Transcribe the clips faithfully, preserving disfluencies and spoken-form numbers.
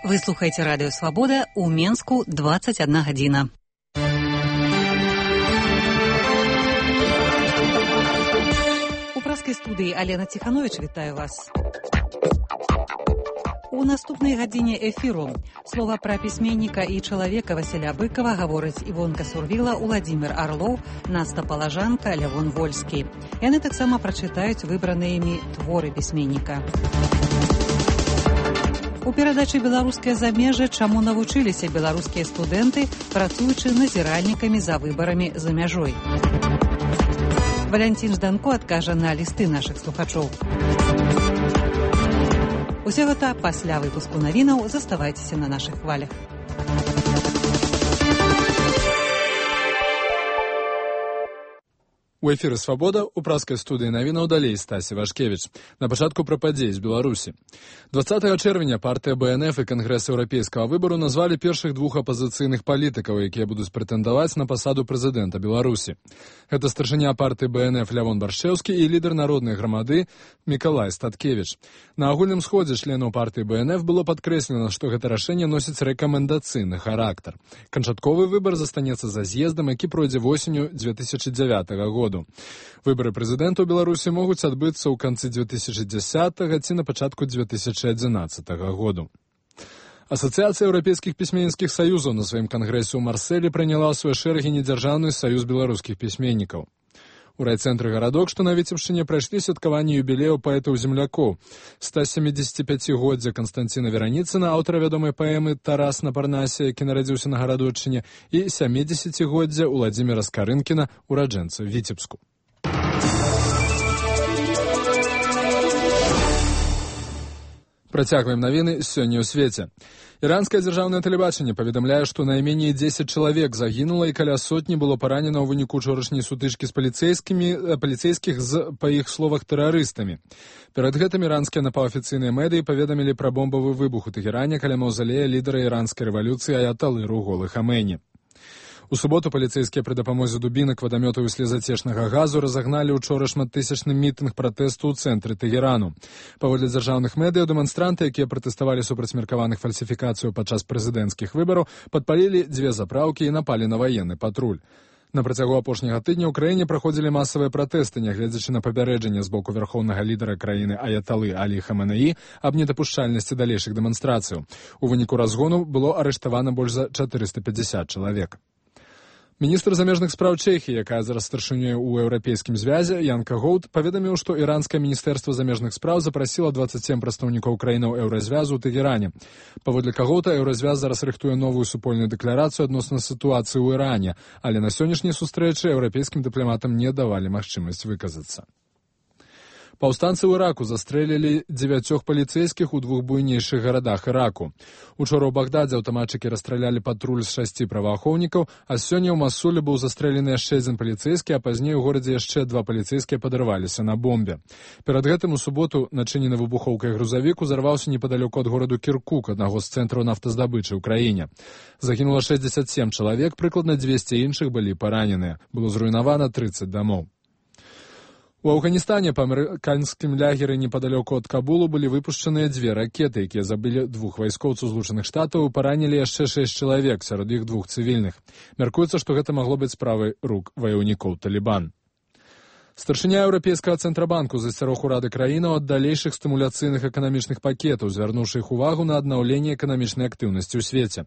Вы слухаете радио «Свобода», у Менску двадцать одна гадзіна. У праскай студыі Алена Ціханович вітаю вас. У наступнай гадзіне эфіру слова пра пісьменніка і чалавека Васіля Быкова гавораць Івонка Сурвіла, Уладзімір Арлоў, Наста Палажанка, Лявон Вольскі. Яны таксама прачытаюць выбраныя імі творы пісьменніка. У перадачы «Беларускае замежжа» чаму навучыліся беларускія студэнты, працуючы назіральнікамі за выбарамі за мяжой. Валянцін Жданко адкажа на лісты нашых слухачоў. Усе гэта пасля выпуску навінаў. Заставайцеся на нашых хвалях. У эфіры «Свабода» у праскай студыі навінаў далей Стасі Вашкевіч. На пачатку пра падзеі з Беларусі. дваццатага чэрвеня партыя бэ эн эф і Кангрэс еўрапейскага выбару назвалі першых двух апазіцыйных палітыкаў, якія будуць прэтэндаваць на пасаду прэзідэнта Беларусі. Гэта старшыня партыі бэ эн эф Лявон Баршчэўскі і лідар народнай грамады Мікалай Статкевіч. На агульным сходзе членаў партыі бэ эн эф было падкрэслена, што гэта рашэнне носіць рэкамендацыйны характар. Канчатковы выбар застанецца за з'ездам, які пройдзе восенню дзве тысячы дзявятага года. Выбары прэзідэнта ў Беларусі могуць адбыцца ў канцы дзве тысячы дзясятага ці на пачатку дзве тысячы адзінаццатага году. Асацыяцыя еўрапейскіх пісьменніцкіх саюзаў на сваім кангрэсе ў Марсэлі прыняла ў свае шэрагі недзяржаўны саюз беларускіх пісьменнікаў. У райцэнтры гарадок, што на Віцебшчыне, прайшлі святкаванне юбілею паэтаў-землякоў. ста сямідзесяціпяцігоддзя Канстанціна Вераніцына, аўтара вядомай паэмы «Тарас на Парнасе», які нарадзіўся на гарадоччыне, і сямідзесяцігоддзя Уладзіміра Скарынкіна, ураджэнца Віцебску. Працягваем навіны сёння ў свеце. Іранскае дзяржаўнае тэлебачанне паведамляе, што найменей дзесяць чалавек загінула і каля сотні было паранена ў выніку учорашняй сутычкі з паліцэйскімі, паліцэйскіх з, па іх словах, тэрарыстамі. Перад гэтым іранскія напаўафіцыйныя медыі паведамілі пра бомбавы выбух у Тэгеране каля маўзалея лідара іранскай рэвалюцыі аяталы Руголы Хаменеі. У суботу паліцэйскія пры дапамозе дубінак, вадамётаў і слезацечнага газу разагналі учора шматтысячны мітынг пратэсту ў цэнтры Тэгерану. Паводле дзяржаўных медыяў, дэманстранты, якія пратэставалі супраць меркаваных фальсіфікацыяў падчас прэзідэнцкіх выбараў, падпалілі дзве запраўкі і напалі на ваенны патруль. На працягу апошняга тыдня ў краіне праходзілі масавыя пратэсты, нягледзячы на папярэджанне з боку вярхоўнага лідара краіны аяталы Алі Хаменеі аб недапушчальнасці далейшых дэманстрацыяў. У выніку разгону было арыштавана больш за чатырыста пятьдесят чалавек. Міністр замежных спраў Чэхіі, якая зараз старшынёй у еўрапейскім звязе, Янка Гоўд, паведаміў, што іранскае міністэрства замежных спраў запрасіла дваццаць сем прадстаўнікоў краінаў еўразвязу ў Тэгеране. Паводле Кагоўта, еўразвяз зараз рыхтуе новую супольную дэкларацыю адносна сітуацыі ў Іране, але на сённяшняй сустрэчы еўрапейскім дыпламатам не давалі магчымасць выказацца. Паўстанцы ў Іраку застрэлілі дзевяцёх паліцэйскіх у двух буйнейшых гарадах Іраку. Учора ў Багдадзе аўтаматчыкі расстралялі патруль з шасці праваахоўнікаў, а сёння ў Масуле быў застрэлены яшчэ адзін паліцэйскі, а пазней у горадзе яшчэ два паліцэйскія падарваліся на бомбе. Перад гэтым у суботу начынены выбухоўкай грузавік узарваўся непадалёку ад гораду Кіркук, аднаго з цэнтраў нафтаздабычы ў краіне. Загінула шэсцьдзесят сем чалавек, прыкладна дзвесце іншых былі параненыя. Было зруйнавана трыццаць дамоў. У Афганістане па амерыканскім лягеры непадалёку ад Кабулу былі выпушчаныя дзве ракеты, якія забілі двух вайскоўцаў Злучаных Штатаў і паранілі яшчэ шэсць чалавек, сярод іх двух цывільных. Мяркуецца, што гэта магло быць справай рук ваяўнікоў Талібан. Старшыня Еўрапейскага цэнтрабанку засцярог урады краінаў ад далейшых стымуляцыйных эканамічных пакетаў, звярнуўшы іх увагу на аднаўленне эканамічнай актыўнасці ў свеце.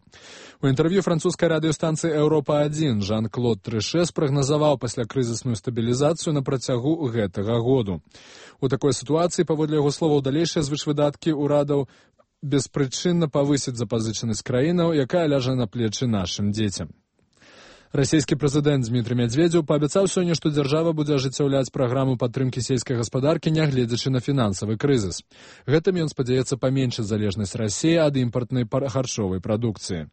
У інтэрв'ю французскай радыёстанцыі Еўропа адзін Жан-Клод Трыше спрагназаваў паслякрызісную стабілізацыю на працягу гэтага году. У такой сітуацыі, паводле яго словаў, далейшыя звышвыдаткі ўрадаў беспрычынна павысяць запазычанасць краінаў, якая ляжа на плечы нашым дзецям. Расійскі прэзідэнт Дмітрый Мядзведзеў паабяцаў сёння, што дзяржава будзе ажыццяўляць праграму падтрымкі сельскай гаспадаркі, нягледзячы на фінансавы крызіс. Гэтым ён спадзяецца паменшыць залежнасць Расіі ад імпартнай харчовай прадукцыі.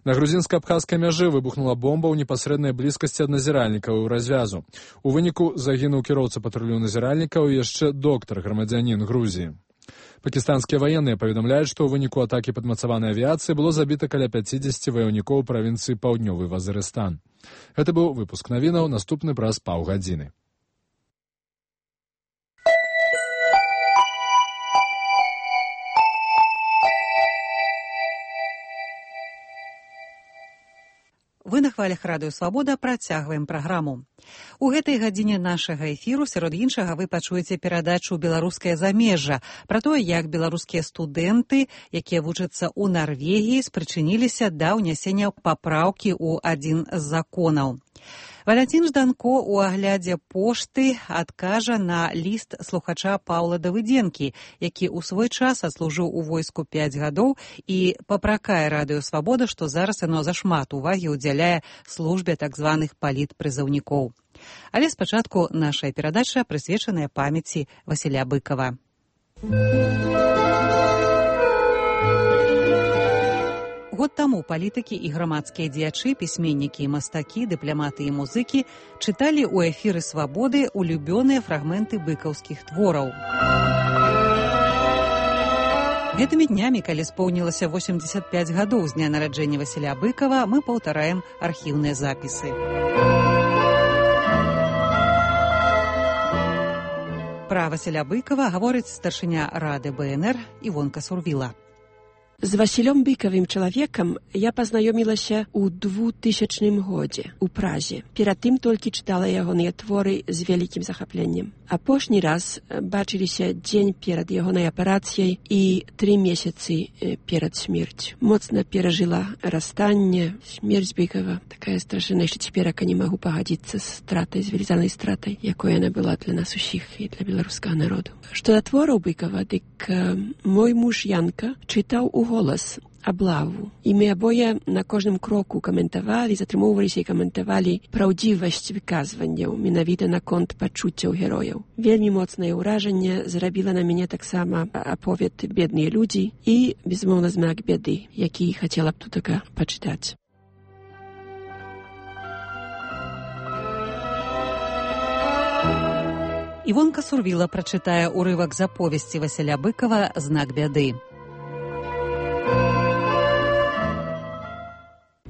На грузінска-абхазскай мяжы выбухнула бомба ў непасрэднай блізкасці ад назіральнікаў развязу. У выніку загінуў кіроўца патрулю назіральнікаў і яшчэ доктар, грамадзянін Грузіі. Пакістанскія ваенныя паведамляюць, што ў выніку атакі падмацаванай авіяцыі было забіта каля пяцідзесяці ваяўнікоў правінцыі Паўднёвы Вазырыстан. Гэта быў выпуск навінаў, наступны праз паўгадзіны. Вы на хвалях радыё Свабода працягваем праграму. У гэтай гадзіне нашага эфіру, сярод іншага, вы пачуеце перадачу «Беларускае замежжа» пра тое, як беларускія студэнты, якія вучацца ў Нарвегіі, спрычыніліся да ўнясення папраўкі ў адзін з законаў. Валянцін Жданко у аглядзе пошты адкажа на ліст слухача Паўла Давыдзенкі, які ў свой час адслужыў у войску пяць гадоў і папракае радыё Свабода, што зараз яно зашмат увагі ўдзяляе службе так званых палітпрызыўнікоў. Але спачатку наша перадача прысвечаная памяці Васіля Быкава. Год таму палітыкі і грамадскія дзеячы, пісьменнікі і мастакі, дыпламаты і музыкі чыталі ў эфіры Свабоды улюбёныя фрагменты быкаўскіх твораў. Гэтымі днямі, калі споўнілася восемдзесят пяць гадоў з дня нараджэння Васіля Быкава, мы паўтараем архіўныя запісы. Пра Васіля Быкава гаворыць старшыня рады бэ эн эр Івонка Сурвіла. З Васілём Быкавым чалавекам я пазнаёмілася ў двухтысячным годзе ў Празе. Перад тым толькі чытала ягоныя творы з вялікім захапленнем. Апошні раз бачыліся дзень перад ягонай аперацыяй і тры месяцы перад смерцю. Моцна перажыла расстанне, смерць Быкава. Такая страшная, што цяперака не магу пагадзіцца з стратай, з велізарнай стратай, якой яна была для нас усіх і для беларускага народу. Што да твораў Быкава, дык мой муж Янка чытаў у голас аблаву. І мы абое на кожным кроку каментавалі, затрымоўваліся і каментавалі праўдзівасць выказванняў, менавіта наконт пачуццяў герояў. Вельмі моцнае ўражанне зрабіла на мяне таксама аповед «Бедныя людзі» і, безумоўна, «Знак бяды», які хацела б тутака пачытаць. Івонка Сурвіла прачытае ўрывак з аповесці Васіля Быкава «Знак бяды».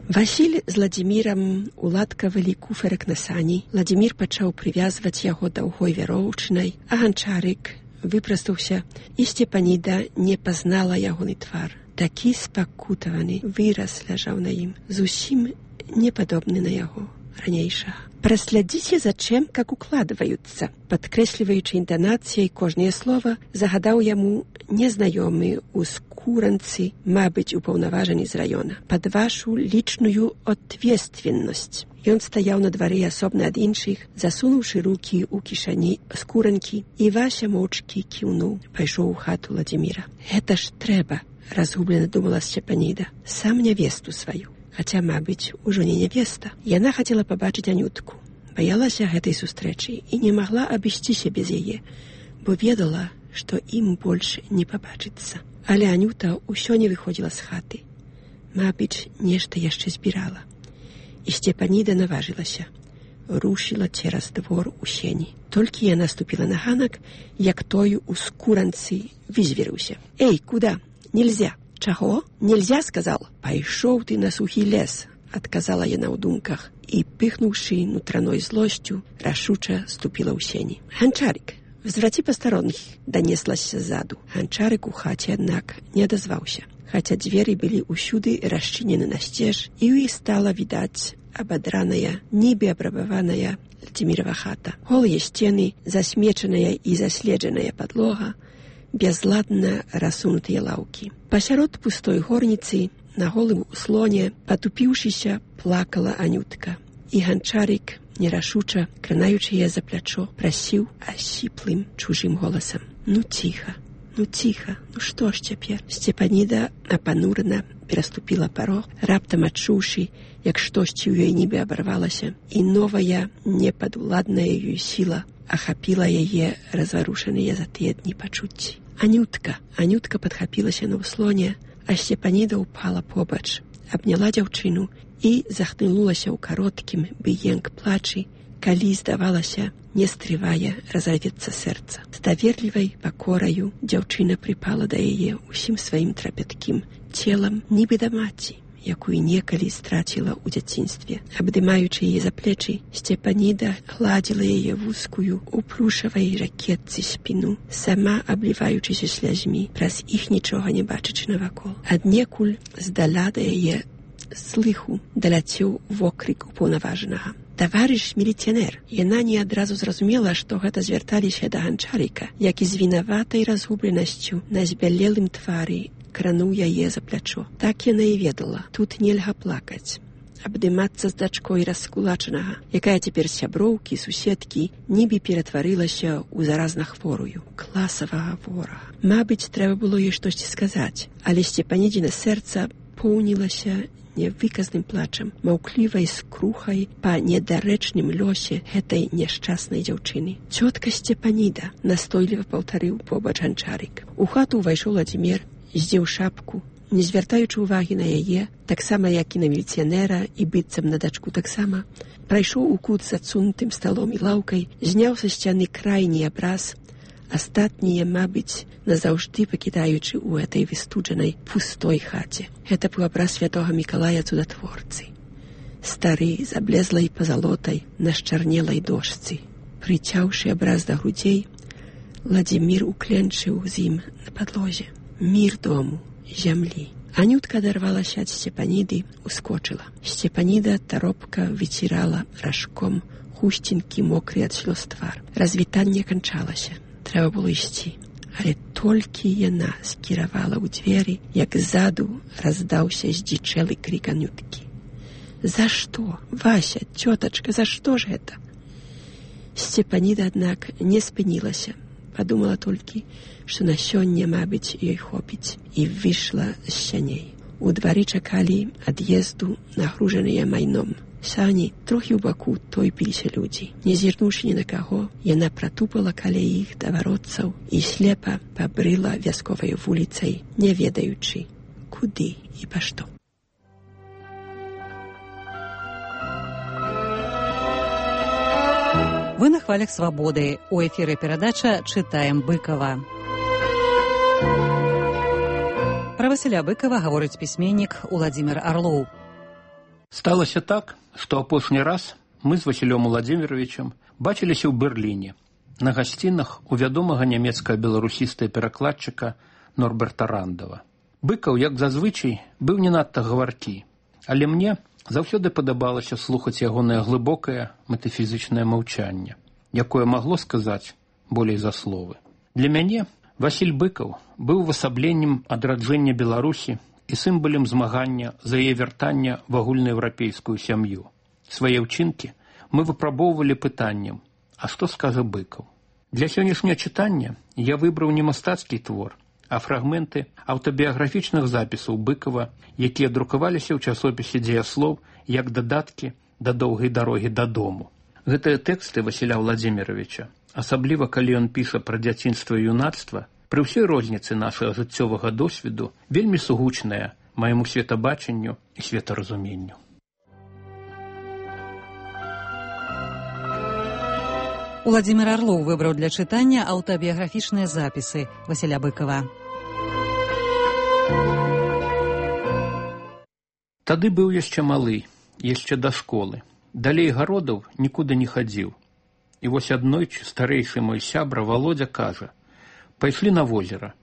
Васіль з Ладзімірам уладкавалі куферак на сані. Ладзімір пачаў прывязваць яго даўгой вяроўчынай, а ганчарык выпрастаўся, і Сцепаніда не пазнала ягоны твар. Такі спакутаваны выраз ляжаў на ім, зусім не падобны на яго ранейшага. «Праслядзіце за чым, как укладваюцца», падкрэсліваючы інтанацыяй кожнае слова, загадаў яму незнаёмы ў скуранцы, мабыць, упаўнаважаны з раёна. «Пад вашу лічную ответственнасць». Ён стаяў на двары асобна ад іншых, засунуўшы рукі ў кішані скуранкі, і Вася моўчкі кіўнуў, пайшоў у хату Ладзіміра. «Гэта ж трэба», разгублена думала Сцепаніда, «сам нявесту сваю». Хаця, мабыць, ужо не нявеста. Яна хацела пабачыць Анютку. Баялася гэтай сустрэчы і не магла абысціся без яе, бо ведала, што ім больш не пабачыцца. Але Анюта ўсё не выходзіла з хаты. Мабыць, нешта яшчэ збірала. І Сцепаніда наважылася. Рушыла цераз двор у сені. Толькі яна ступіла на ганак, як той у скуранцы вызверыўся. «Эй, куда? Нельзя!» «Чаго? Нельзя, сказал?» «Пайшоў ты на сухі лес», адказала яна ў думках, і, пыхнуўшы нутраной злосцю, рашуча ступіла ў сені. «Ганчарык, взвраці пастаронных», данеслася ззаду. Ганчарык у хаце, аднак, не адазваўся, хаця дзверы былі ўсюды расчынены насцеж, і ў іх стала відаць абадраная, нібы абрабаваная Ладзімірава хата. Голыя сцены, засмечаная і заследжаная падлога, бязладна рассунутыя лаўкі. Пасярод пустой горніцы, на голым услоне, патупіўшыся, плакала Анютка. І ганчарык, нерашуча, кранаючы яе за плячо, прасіў асіплым чужым голасам: «Ну ціха, ну ціха, ну што ж цяпер?» Сцепаніда апанурана пераступіла парог, раптам адчуўшы, як штосьці ў ёй нібы абарвалася, і новая, непадуладная ёй сіла ахапіла яе разварушаныя за тыя дні пачуцці. Анютка, Анютка падхапілася на ўслоне, а Сцепаніда ўпала побач, абняла дзяўчыну і захлынулася ў кароткім быенк плачы, калі, здавалася, не стрывае разарвецца сэрца. З даверлівай пакораю дзяўчына прыпала да яе ўсім сваім трапяткім целам, нібы да маці, якую некалі страціла ў дзяцінстве. Абдымаючы яе за плечы, Сцепаніда гладзіла яе вузкую у плюшавай ракетцы спіну, сама абліваючыся слязьмі, праз іх нічога не бачачы навакол. Аднекуль здаля да яе слыху даляцеў вокрык упаўнаважанага. Таварыш міліцыянер. Яна не адразу зразумела, што гэта звярталіся да ганчарыка, які з вінаватай разгубленасцю на збялелым твары крануў яе за плячо. Так яна і ведала. Тут нельга плакаць. Абдымацца з дачкой раскулачанага, якая цяпер сяброўкі, суседкі, нібы ператварылася ў заразнахворую, класавага ворага. Мабыць, трэба было ёй штосьці сказаць, але Сцепанідзіна сэрца поўнілася невыказным плачам, маўклівай скрухай па недарэчным лёсе гэтай няшчаснай дзяўчыны. «Цётка Сцепаніда», настойліва паўтарыў побач ганчарык. У хату ўвайшоў Владзімір, здзеў шапку, не звяртаючы ўвагі на яе, таксама як і на міліцыянера і быццам на дачку таксама, прайшоў у кут з адсунутым сталом і лаўкай, зняў са сцяны крайні абраз, астатнія, мабыць, назаўжды пакідаючы ў этой выстуджанай пустой хаце. Гэта быў абраз святога Мікалая цудатворцы. Стары, заблезлай пазалотай, на счарнелай дошцы. Прыцяўшы абраз да грудзей, Владзімір укленчыў з ім на падлозе. Мір дому, зямлі. Анютка адарвалася ад Сцепаніды, ускочыла. Сцепаніда таропка выцірала ражком хусцінкі мокры ад слёз твар. Развітанне канчалася. Трэба было ісці. Але толькі яна скіравала ў дзверы, як ззаду раздаўся здзічэлы крык Анюткі. «За што? Вася, цётачка, за што ж гэта?» Сцепаніда, аднак, не спынілася. Падумала толькі, што на сёння, мабыць, ёй хопіць, і выйшла з сяней. У двары чакалі ад'езду нагружаныя майном. Сані, трохі ў баку тойпіліся людзі. Не зірнуўшы ні на каго, яна пратупала каля іх да варотцаў і слепа пабрыла вясковай вуліцай, не ведаючы, куды і па што. Вы на хвалях свабоды. У эфіры перадача «Чытаем Быкова». Пра Васіля Быкова гаворыць пісьменнік Уладзімір Арлоў. Сталася так, што апошні раз мы з Васілём Уладзіміровичам бачыліся ў Берліне на гасцінах у вядомага нямецка-беларусістая перакладчыка Норберта Рандава. Быкаў, як зазвычай, быў не надта гаваркі, але мне заўсёды падабалася слухаць ягонае глыбокае метафізычнае маўчанне, якое магло сказаць болей за словы. Для мяне Васіль Быкаў быў увасабленнем адраджэння Беларусі і сімвалем змагання за яе вяртання в агульнаеўрапейскую сям'ю. Свае ўчынкі мы выпрабоўвалі пытаннем: а што скажа Быкаў? Для сённяшняга чытання я выбраў не мастацкі твор, а фрагменты аўтабіяграфічных запісаў Быкава, якія друкаваліся ў часопісе «Дзеяслоў» як дадаткі да доўгай дарогі дадому. Гэтыя тэксты Васіля Владзіміровича, асабліва калі ён піша пра дзяцінства і юнацтва, пры ўсёй розніцы нашага жыццёвага досведу вельмі сугучныя майму светабачанню і светаразуменню. Уладзімір Арлоў выбраў для чытання аўтабіяграфічныя запісы Васіля Быкова. Тады быў яшчэ малы, яшчэ да школы. Далей гародаў нікуды не хадзіў. І вось аднойчы старэйшы мой сябра Володя кажа: «Пайшлі на возера».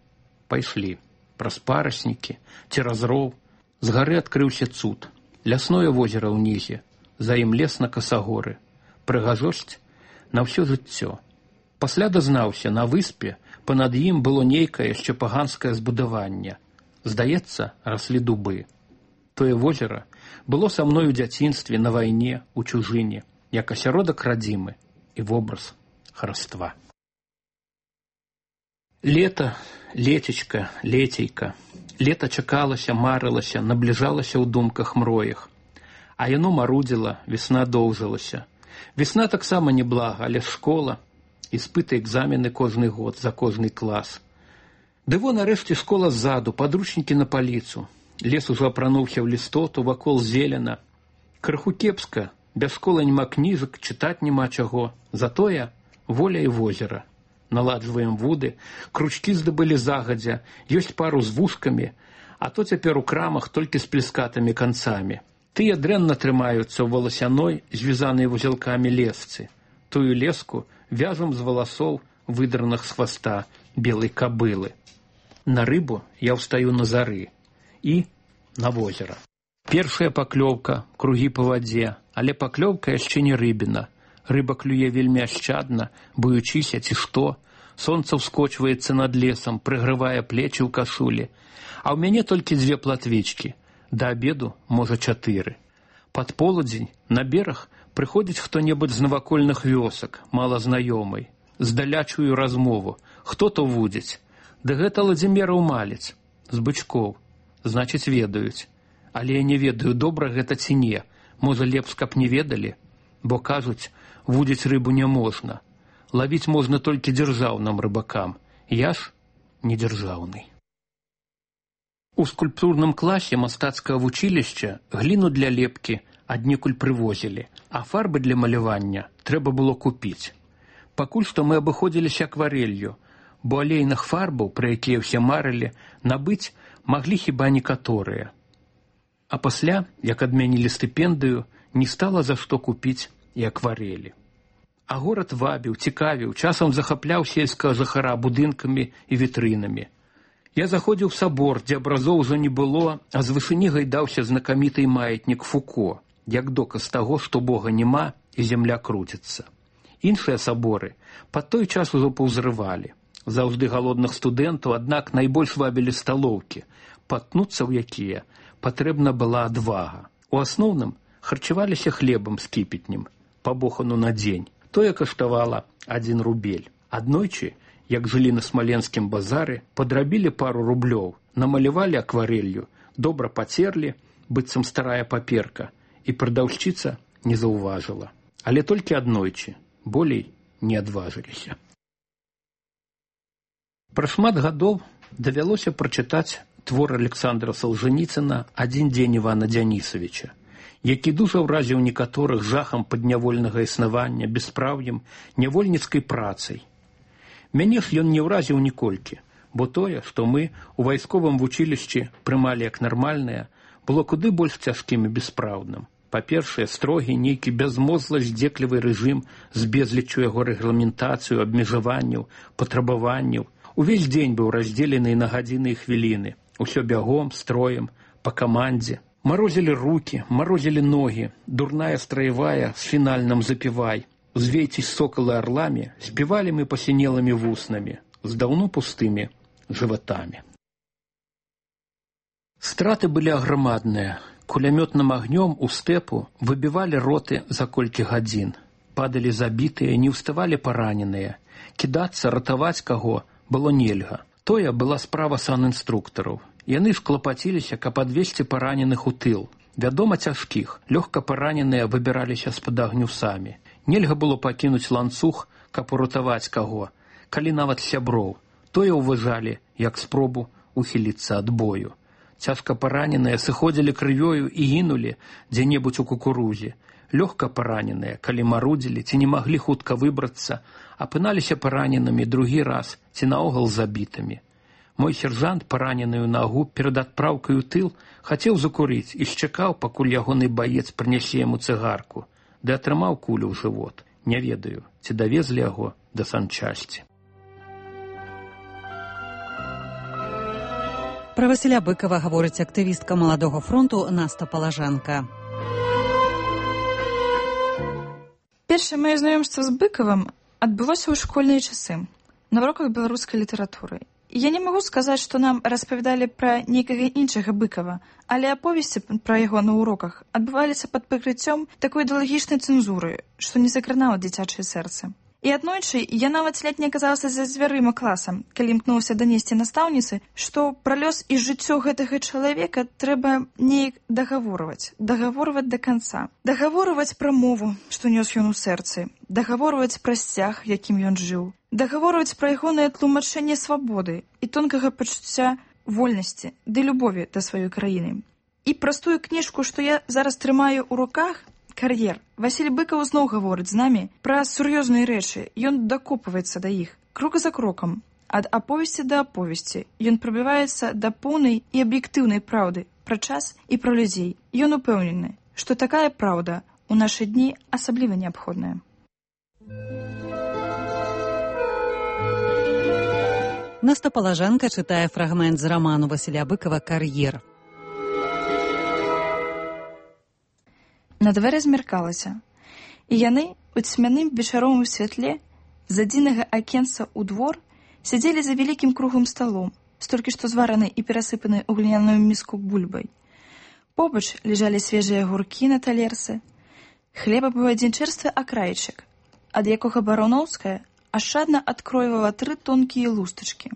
Пайшлі. Праз параснікі, цераз роў. З гары адкрыўся цуд. Лясное возера ўнізе, за ім лес на касагоры. Прыгажосць на ўсё жыццё. Пасля дазнаўся, на выспе панад ім было нейкае яшчэ паганскае збудаванне. Здаецца, раслі дубы. Тое возера было са мной у дзяцінстве, на вайне, у чужыне, як асяродак радзімы і вобраз хараства. Лето, летечка, летейка. Лето чакалася, марылася, набліжалася ў думках мроях. А яно марудзіла, весна доўжылася. Весна таксама неблага, але школа, іспыты, экзамены кожны год, за кожны клас. Ды во нарэшце школа ззаду, падручнікі на паліцу. Лес ужо апрануўся ў лістоту, вакол зелена. Крыху кепска, без школы няма кніжак, чытаць няма чаго. Затое воля і возера. Наладжваем вуды, кручкі здабылі загадзя, ёсць пару з вушкамі, а то цяпер у крамах толькі з плескатымі канцамі. Тыя дрэнна трымаюцца ў валасяной, звязанай вузелкамі лесцы. Тую леску вяжам з валасоў, выдраных з хваста белай кабылы. На рыбу я ўстаю на зары і на возера. Першая паклёўка, кругі па вадзе, але паклёўка яшчэ не рыбіна. Рыба клюе вельмі ашчадна, боючыся ці што. Сонца ўскочваецца над лесам, прыгрывае плечы ў кашулі. А ў мяне толькі дзве платвічкі. Да абеду, можа, чатыры. Пад полудзень на бераг прыходзіць хто-небудзь з навакольных вёсак, малазнаёмый. Здаля чую размову. Хто то вудзіць? Ды гэта Ладзіміраў малец. З бычкоў. Значыць, ведаюць. Але я не ведаю, добра гэта ці не. Можа, лепш, каб не ведалі? Бо, кажуць, вудзіць рыбу не можна. Лавіць можна толькі дзяржаўным рыбакам. Я ж не дзяржаўны. У скульптурным класе мастацкага вучылішча гліну для лепкі аднекуль прывозілі, а фарбы для малявання трэба было купіць. Пакуль што мы абыходзіліся акварэлью, бо алейных фарбаў, пра якія ўсе марылі, набыць маглі хіба некаторыя. А пасля, як адмянілі стыпендыю, не стала за што купіць і акварэлі. А горад вабіў, цікавіў, часам захапляў сельскага жыхара будынкамі і вітрынамі. Я заходзіў у сабор, дзе абразоў ужо не было, а з вышыні гайдаўся знакаміты маятнік Фуко, як доказ таго, што Бога няма і зямля круціцца. Іншыя саборы пад той час ужо паўзрывалі. Заўжды галодных студэнтаў, аднак найбольш вабілі сталоўкі, патнуцца ў якія патрэбна была адвага. У асноўным харчаваліся хлебам з кіпетнем, пабохану на дзень. Тое каштавала адзін рубель. Аднойчы, як жылі на смаленскім базары, падрабілі пару рублёў, намалявалі акварэлью, добра пацерлі, быццам старая паперка, і прадаўшчыца не заўважыла. Але толькі аднойчы, болей не адважыліся. Пра шмат гадоў давялося прачытаць твор Александра Салжаніцына «Адзін дзень Івана Дзянісавіча», які дужа ўразіў некаторых жахам паднявольнага існавання, бяспраўем, нявольніцкай працай. Мяне ж ён не ўразіў ніколькі, бо тое, што мы у вайсковым вучылішчы прымалі як нармальнае, было куды больш цяжкім і бяспраўдным. Па-першае, строгі, нейкі бязмозглы здзеклівы рэжым з безліччу яго рэгламентацыю, абмежаванняў, патрабаванняў. Увесь дзень быў раздзелены на гадзіны і хвіліны. Усё бягом, строем, па камандзе. Марозілі рукі, марозілі ногі, дурная страявая з фінальным запівай. Узвейцесь сокалы арлами, спевали мы посинелыми вуснами, с давно пустыми животами. Страты были огромадные. Кулеметным огнем у степу выбивали роты за колькі гадзін. Падали забитые, не уставали пораненные. Кидаться, ратовать кого было нельга. Тое была справа санінструктараў. Яны ж клапаціліся, каб адвесці параненых у тыл. Вядома, цяжкіх, лёгка параненыя выбіраліся з-пад агню самі. Нельга было пакінуць ланцуг, каб уратаваць каго, калі нават сяброў. Тое ўважалі, як спробу ухіліцца ад бою. Цяжка параненыя сыходзілі крывёю і гінулі дзе-небудзь у кукурузе. Лёгка параненыя, калі марудзілі ці не маглі хутка выбрацца, апыналіся параненымі другі раз ці наогул забітымі. Мой сержант, параненую нагу, перад адпраўкай у тыл, хацеў закурыць і чакаў, пакуль ягоны баец прынясе яму цыгарку, ды атрымаў кулю ў жывот. Не ведаю, ці давезлі яго да санчасці. Пра Васіля Быкава гаворыць актывістка Маладога фронту Наста Палажанка. Першае маё знаёмства з Быкавым адбылося ў школьныя часы на уроках беларускай літаратуры. Я не магу сказаць, што нам распавядалі пра нейкага іншага Быкава, але аповесці пра яго на уроках адбываліся пад прыкрыццём такой ідэалагічнай цэнзуры, што не закранала дзіцячае сэрца. І аднойчы я нават ледзь не аказалася за дзвярыма класа, калі імкнуўся данесці настаўніцы, што пра лёс і жыццё гэтага чалавека трэба неяк дагаворваць, дагаворваць да канца. Дагаворваць пра мову, што нёс ён у сэрцы, дагаворваць пра сцяг, якім ён жыў, дагаворваць пра ягонае тлумачэнне свабоды і тонкага пачуцця вольнасці ды любові да сваёй краіны. І праз тую кніжку, што я зараз трымаю ў руках, «Кар'ер», Васіль Быкаў зноў гаворыць з намі пра сур'ёзныя рэчы, ён дакопваецца да іх, крок за крокам. Ад аповесці да аповесці ён прабіваецца да поўнай і аб'ектыўнай праўды пра час і пра людзей. Ён упэўнены, што такая праўда ў нашы дні асабліва неабходная. Наста Палажанка чытае фрагмент з раману Васіля Быкава «Кар'ер». На дварэ змяркалася, і яны у цьмяным вечаровым святле з адзінага акенца ў двор сядзелі за вялікім круглым сталом, столькі што зваранай і перасыпанай у гліняную міску бульбай. Побач ляжалі свежыя агуркі на талерцы. Хлеба быў адзін чэрствы акрайчык, ад якога Барановская ашчадна адкройвала тры тонкія лустачкі.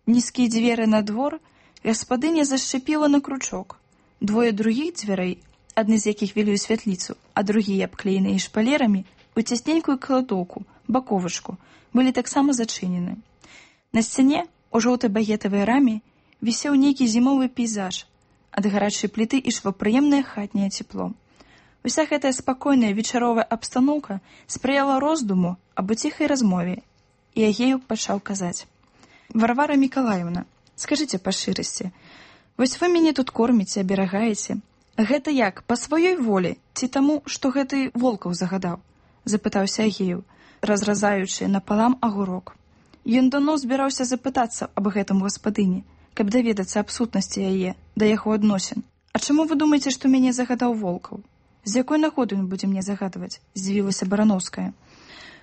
Нізкія дзверы на двор гаспадыня зашчапіла на кручок. Двое другіх дзвярэй, адны з якіх вялі ў святліцу, а другія, абклееныя шпалерамі, у цясненькую кладоўку, баковачку, былі таксама зачынены. На сцяне, у жоўтай багетавай раме, вісеў нейкі зімовы пейзаж. Ад гарачай пліты ішло прыемнае хатняе цепло. Уся гэтая спакойная вечаровая абстаноўка спрыяла роздуму аб ціхай размове, і Агею пачаў казаць: «Варвара Мікалаевна, скажыце па шчырасці, вось вы мяне тут корміце, аберагаеце. Гэта як, па сваёй волі, ці таму, што гэты Волкаў загадаў?» – запытаўся Агею, разразаючы напалам агурок. Ён даўно збіраўся запытацца аб гэтым гаспадыні, каб даведацца аб сутнасці яе, да яго адносін. «А чаму вы думаеце, што мяне загадаў Волкаў? З якой нагоды ён будзе мне загадваць?» – здзівілася Барановская.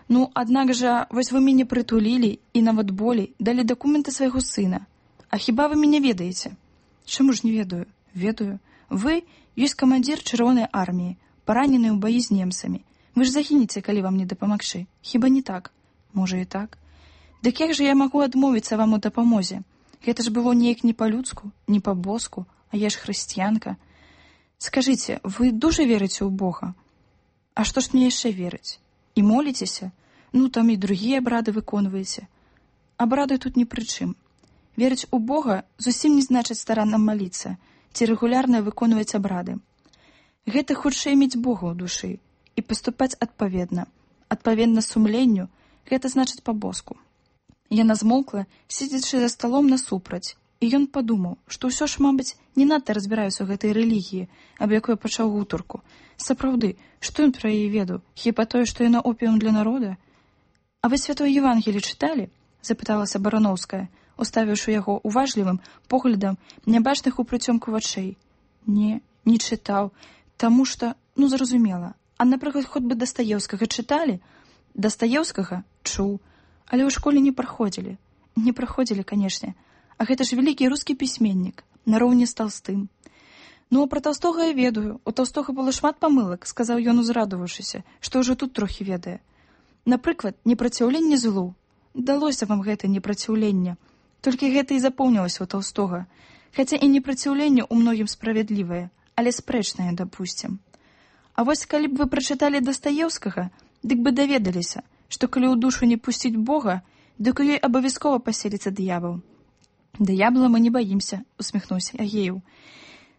«Ну, аднак жа, вось вы мяне прытулілі і нават болей далі дакументы свайго сына. А хіба вы мяне ведаеце?» «Чаму ж не ведаю?» «Ведаю. Вы ёсць камандзір чырвонай арміі, паранены ў баі з немцамі. Вы ж загінеце, калі вам не дапамагчы. Хіба не так?» «Можа і так. Дык як жа я магу адмовіцца вам у дапамозе? Гэта ж было неяк не па-людску, не па-боску, а я ж хрысціянка. Скажыце, вы дужа верыце ў Бога?» «А што ж мне яшчэ верыць? І моліцеся? Ну, там і другія абрады выконваеце. Абрады тут ні пры чым. Верыць у Бога зусім не значыць старанна маліцца ці рэгулярна выконваць абрады. Гэта хутчэй мець Бога ў душы і паступаць адпаведна. Адпаведна сумленню, гэта значыць па-боску». Яна змолкла, сидзячы за сталом насупраць, і ён падумаў, што ўсё ж, мабыць, не надта разбіраюся ў гэтай рэлігіі, аб якой пачаў гутарку. Сапраўды, што ён пра яе ведаў? Хіба тое, што яна опіум для народа? «А вы святое Евангелие чыталі?» – запыталася Барановская, уставіўшы яго уважлівым поглядам нябачных у прыцёмку вачэй. «Не, не чытаў, таму што, ну, зразумела. А, напрыклад, хоць бы Дастаеўскага чыталі?» «Дастаеўскага? Чуў. Але ў школе не праходзілі». «Не праходзілі, канешне. А гэта ж вялікі рускі пісьменнік, нароўні з Талстым». «Ну, а пра Талстога я ведаю. У Талстога было шмат памылак», – сказаў ён, узрадаваўшыся, што ўжо тут трохі ведае. «Напрыклад, непраціўленне злу. Далося вам гэта непраціўленне. Толькі гэта і запомнілася ў Талстога. Хаця і непраціўленне ў многім справядлівае, але спрэчнае, дапусцім. А вось калі б вы прачыталі Дастаеўскага, дык бы даведаліся, што калі ў душу не пусціць Бога, дык у ёй абавязкова паселіцца д'ябал». «Д'ябла мы не баімся», – усміхнуўся Агею.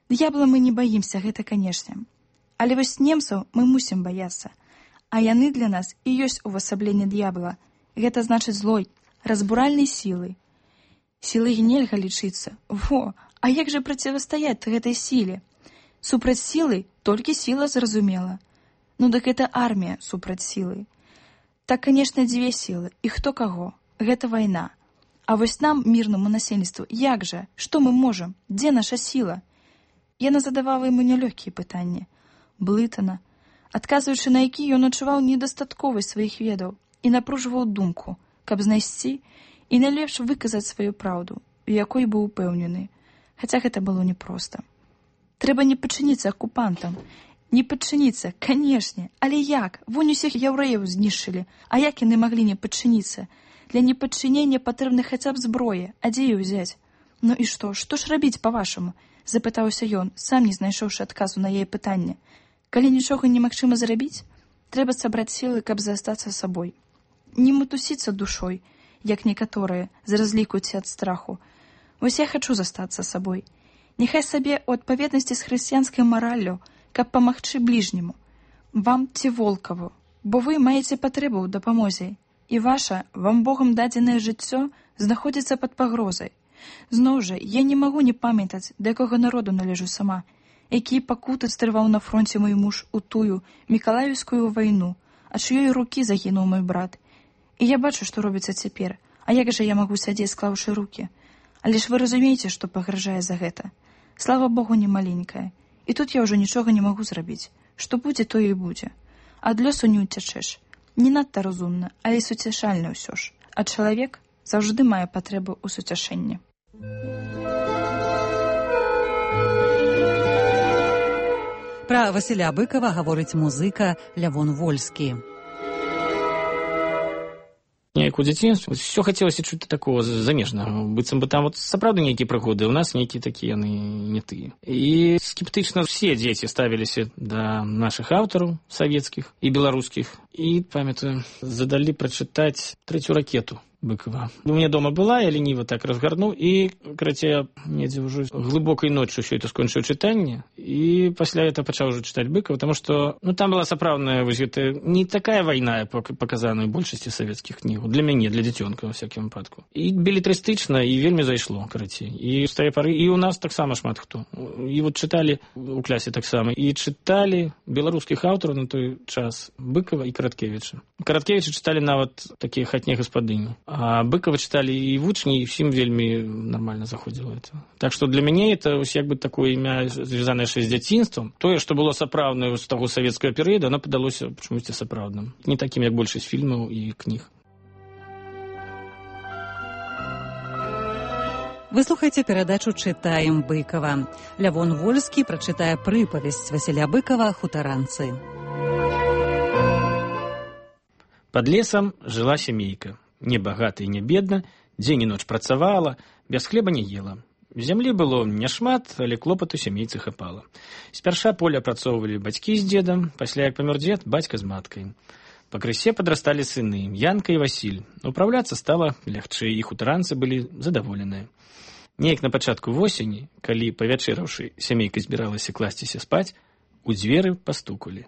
«Д'ябла мы не баімся, гэта канешне. Але вось немцаў мы мусім баяцца. А яны для нас і ёсць увасабленне д'ябла. Гэта значыць злой, разбуральнай сілы. Сілай нельга лічыцца. Во, а як жа процівастаяць гэтай сіле? Супраць сілы толькі сіла, зразумела. Ну дык гэта армія супраць сілы. Так, канешне, дзве сілы, і хто каго. Гэта вайна. А вось нам, мірнаму насельніцтву, як жа? Што мы можам? Дзе наша сіла?» Яна задавала яму нялёгкія пытанні. Блытана, адказваючы на які ён адчуваў недастатковасць сваіх ведаў і напружваў думку, каб знайсці і найлепш выказаць сваю праўду, у якой быў упэўнены. Хаця гэта было непроста. Трэба не падчыніцца акупантам. Не падчыніцца, канешне, але як? Вунь усіх яўрэяў знішчылі, а як яны маглі не падчыніцца? Для непадчынення патрэбна хаця б зброя, а дзе яе ўзяць? Ну і што, што ж рабіць, па-вашаму? Запытаўся ён, сам не знайшоўшы адказу на яе пытанне. Калі нічога немагчыма зрабіць, трэба сабраць сілы, каб застацца сабой. Не матусіцца душой, як некаторыя, з разліку ці ад страху. Вось я хачу застацца сабой. Няхай сабе ў адпаведнасці з хрысціянскай мараллю, каб памагчы бліжняму, вам ці Волкаву, бо вы маеце патрэбу ў дапамозе, і ваша, вам Богам дадзенае жыццё знаходзіцца пад пагрозай. Зноў жа, я не магу не памятаць, да якога народу належу сама, якія пакуты стрываў на фронце мой муж у тую Мікалаеўскую вайну, ад чыёй рукі загінуў мой брат. І я бачу, што робіцца цяпер, а як жа я магу сядзець, склаўшы рукі? Але ж вы разумееце, што пагражае за гэта. Слава Богу, не маленькая. І тут я ўжо нічога не магу зрабіць. што будзе, то і будзе. Ад лёсу не ўцячэш. Не надта разумна, але суцяшальна ўсё ж. А чалавек заўжды мае патрэбу ў суцяшэнні. Пра Васіля Быкава гаворыць музыка Лявон Вольскі. Неяк у дзяцінстве ўсё хацелася чуць такого замежнага, быццам бы там вот сапраўды нейкія прыгоды, у нас нейкія такія яны не тыя. І скептычна все дзеці ставіліся да нашых аўтараў савецкіх і беларускіх. І, памятаю, задалі прачытаць трэцюю ракету Быкова. У меня дома была, я лениво так разгарнул, и, короче, недзе уже глубокой ночью все это скончил читание, и после этого начал уже читать Быкова, потому что, ну, там была соправная, это не такая война, показанная в большасці советских книг, для меня, для дзіцёнка, во всяком выпадку. И беллетристично, и вельми зайшло, короче. И с той поры, и у нас так само шмат хто. И вот читали у классе так само, и читали белорусских авторов на той час Быкова и Караткевича. Караткевича читали на вот такие хатние господыни. А Быкова читали и вучні, и всем вельми нормально заходило это. Так что для меня это як бы такое імя, звязанное с дзяцінством. Тое, что было сапраўднае з таго савецкага перыяда, оно падалося чамусьці сапраўдным. Не таким, як большасць фільмаў і кніг. Вы слухаеце перадачу «Чытаем Быкова». Лявон Вольскі прачытае прыпавесць Васіля Быкова «Хутаранцы». Под лесом жила семейка. Не богата и не бедна, дзень і ноч працавала, без хлеба не ела. Зямлі было няшмат, але клопату сямейцы хапала. Спярша поле апрацоўвалі бацькі з дзедам, пасля як памёр дзед, бацька з маткай. Пакрысе падрасталі сыны, Янка і Васіль. Упраўляцца стала лягчэй, і хутаранцы былі задаволеныя. Неяк на пачатку восені, калі, павячэраўшы, сямейка збіралася класціся спаць, у дзверы пастукалі.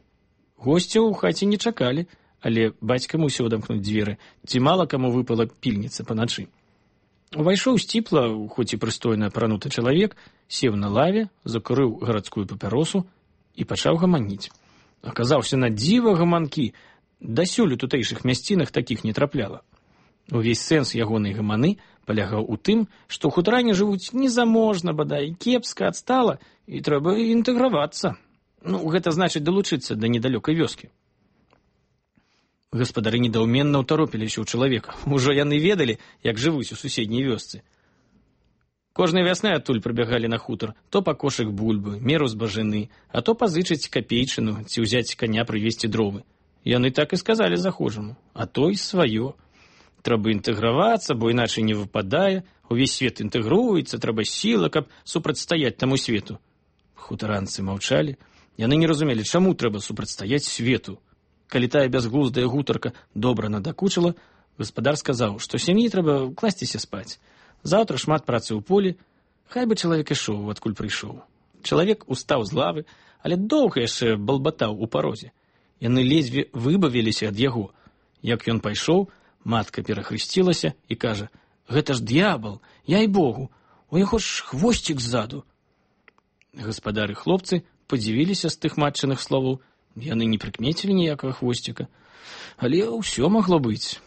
Госцяў у хаце не чакалі, але бацька мусіў адамкнуць дзверы, ці мала каму выпала пільніца паначы. Увайшоў сціпла, хоць і прыстойна апрануты чалавек, сеў на лаве, закурыў гарадскую папяросу і пачаў гаманіць. Аказаўся на дзіва гаманкі, дасюль у тутэйшых мясцінах такіх не трапляла. Увесь сэнс ягонай гаманы палягаў у тым, што ў хутаране жывуць незаможна, бадай, кепска, адстала, і трэба інтэгравацца. Ну, гэта значыць далучыцца да недалёкай вёскі. Гаспадары недаўменна ўтаропіліся ў чалавека. Ужо яны ведалі, як жывуць у суседняй вёсцы. Кожнай вясной адтуль прыбягалі на хутар, то па кошык бульбы, меру збажыны, а то пазычыць капейчыну ці ўзяць каня прывезці дровы. Яны так і сказалі захожаму, а то і сваё. Трэба інтэгравацца, бо іначай не выпадае, увесь свет інтэгруецца, трэба сіла, каб супрацьстаяць таму свету. Хутаранцы маўчалі, яны не разумелі, чаму трэба супрацьстаяць свету. Калі тая бязглуздая гутарка добра надакучыла, гаспадар сказаў, што сям'і трэба класціся спаць. Заўтра шмат працы ў полі, хай бы чалавек ішоў, адкуль прыйшоў. Чалавек устаў з лавы, але доўга яшчэ балбатаў у парозе. Яны ледзьве выбавіліся ад яго. Як ён пайшоў, матка перахрысцілася і кажа: «Гэта ж д'ябал, яй богу, у яго ж хвосцік ззаду». Гаспадар і хлопцы падзівіліся з тых матчыных словаў. Яны не прыкмецілі ніякага хвосціка, але ўсё магло быць.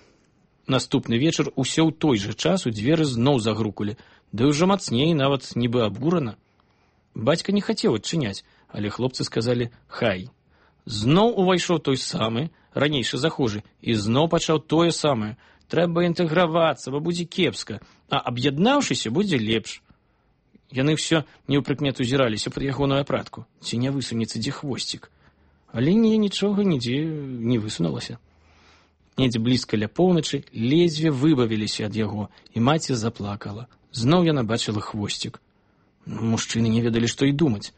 Наступны вечар усё ў той жа час у дзверы зноў загрукалі, ды ўжо мацней, нават нібы абурана. Бацька не хацеў адчыняць, але хлопцы сказалі «хай». Зноў увайшоў той самы, ранейшы захожы, і зноў пачаў тое самае. Трэба інтэгравацца, бо будзе кепска, а аб'яднаўшыся будзе лепш. Яны ўсё неўпрыкмету зіраліся пад ягоную апратку, ці не высунецца дзе хвосцік. Але не, нічога нідзе не высунулася. Недзе блізка ля поўначы ледзьве выбавіліся ад яго, і маці заплакала. Зноў яна бачыла хвосцік. Мужчыны не ведалі, што і думаць.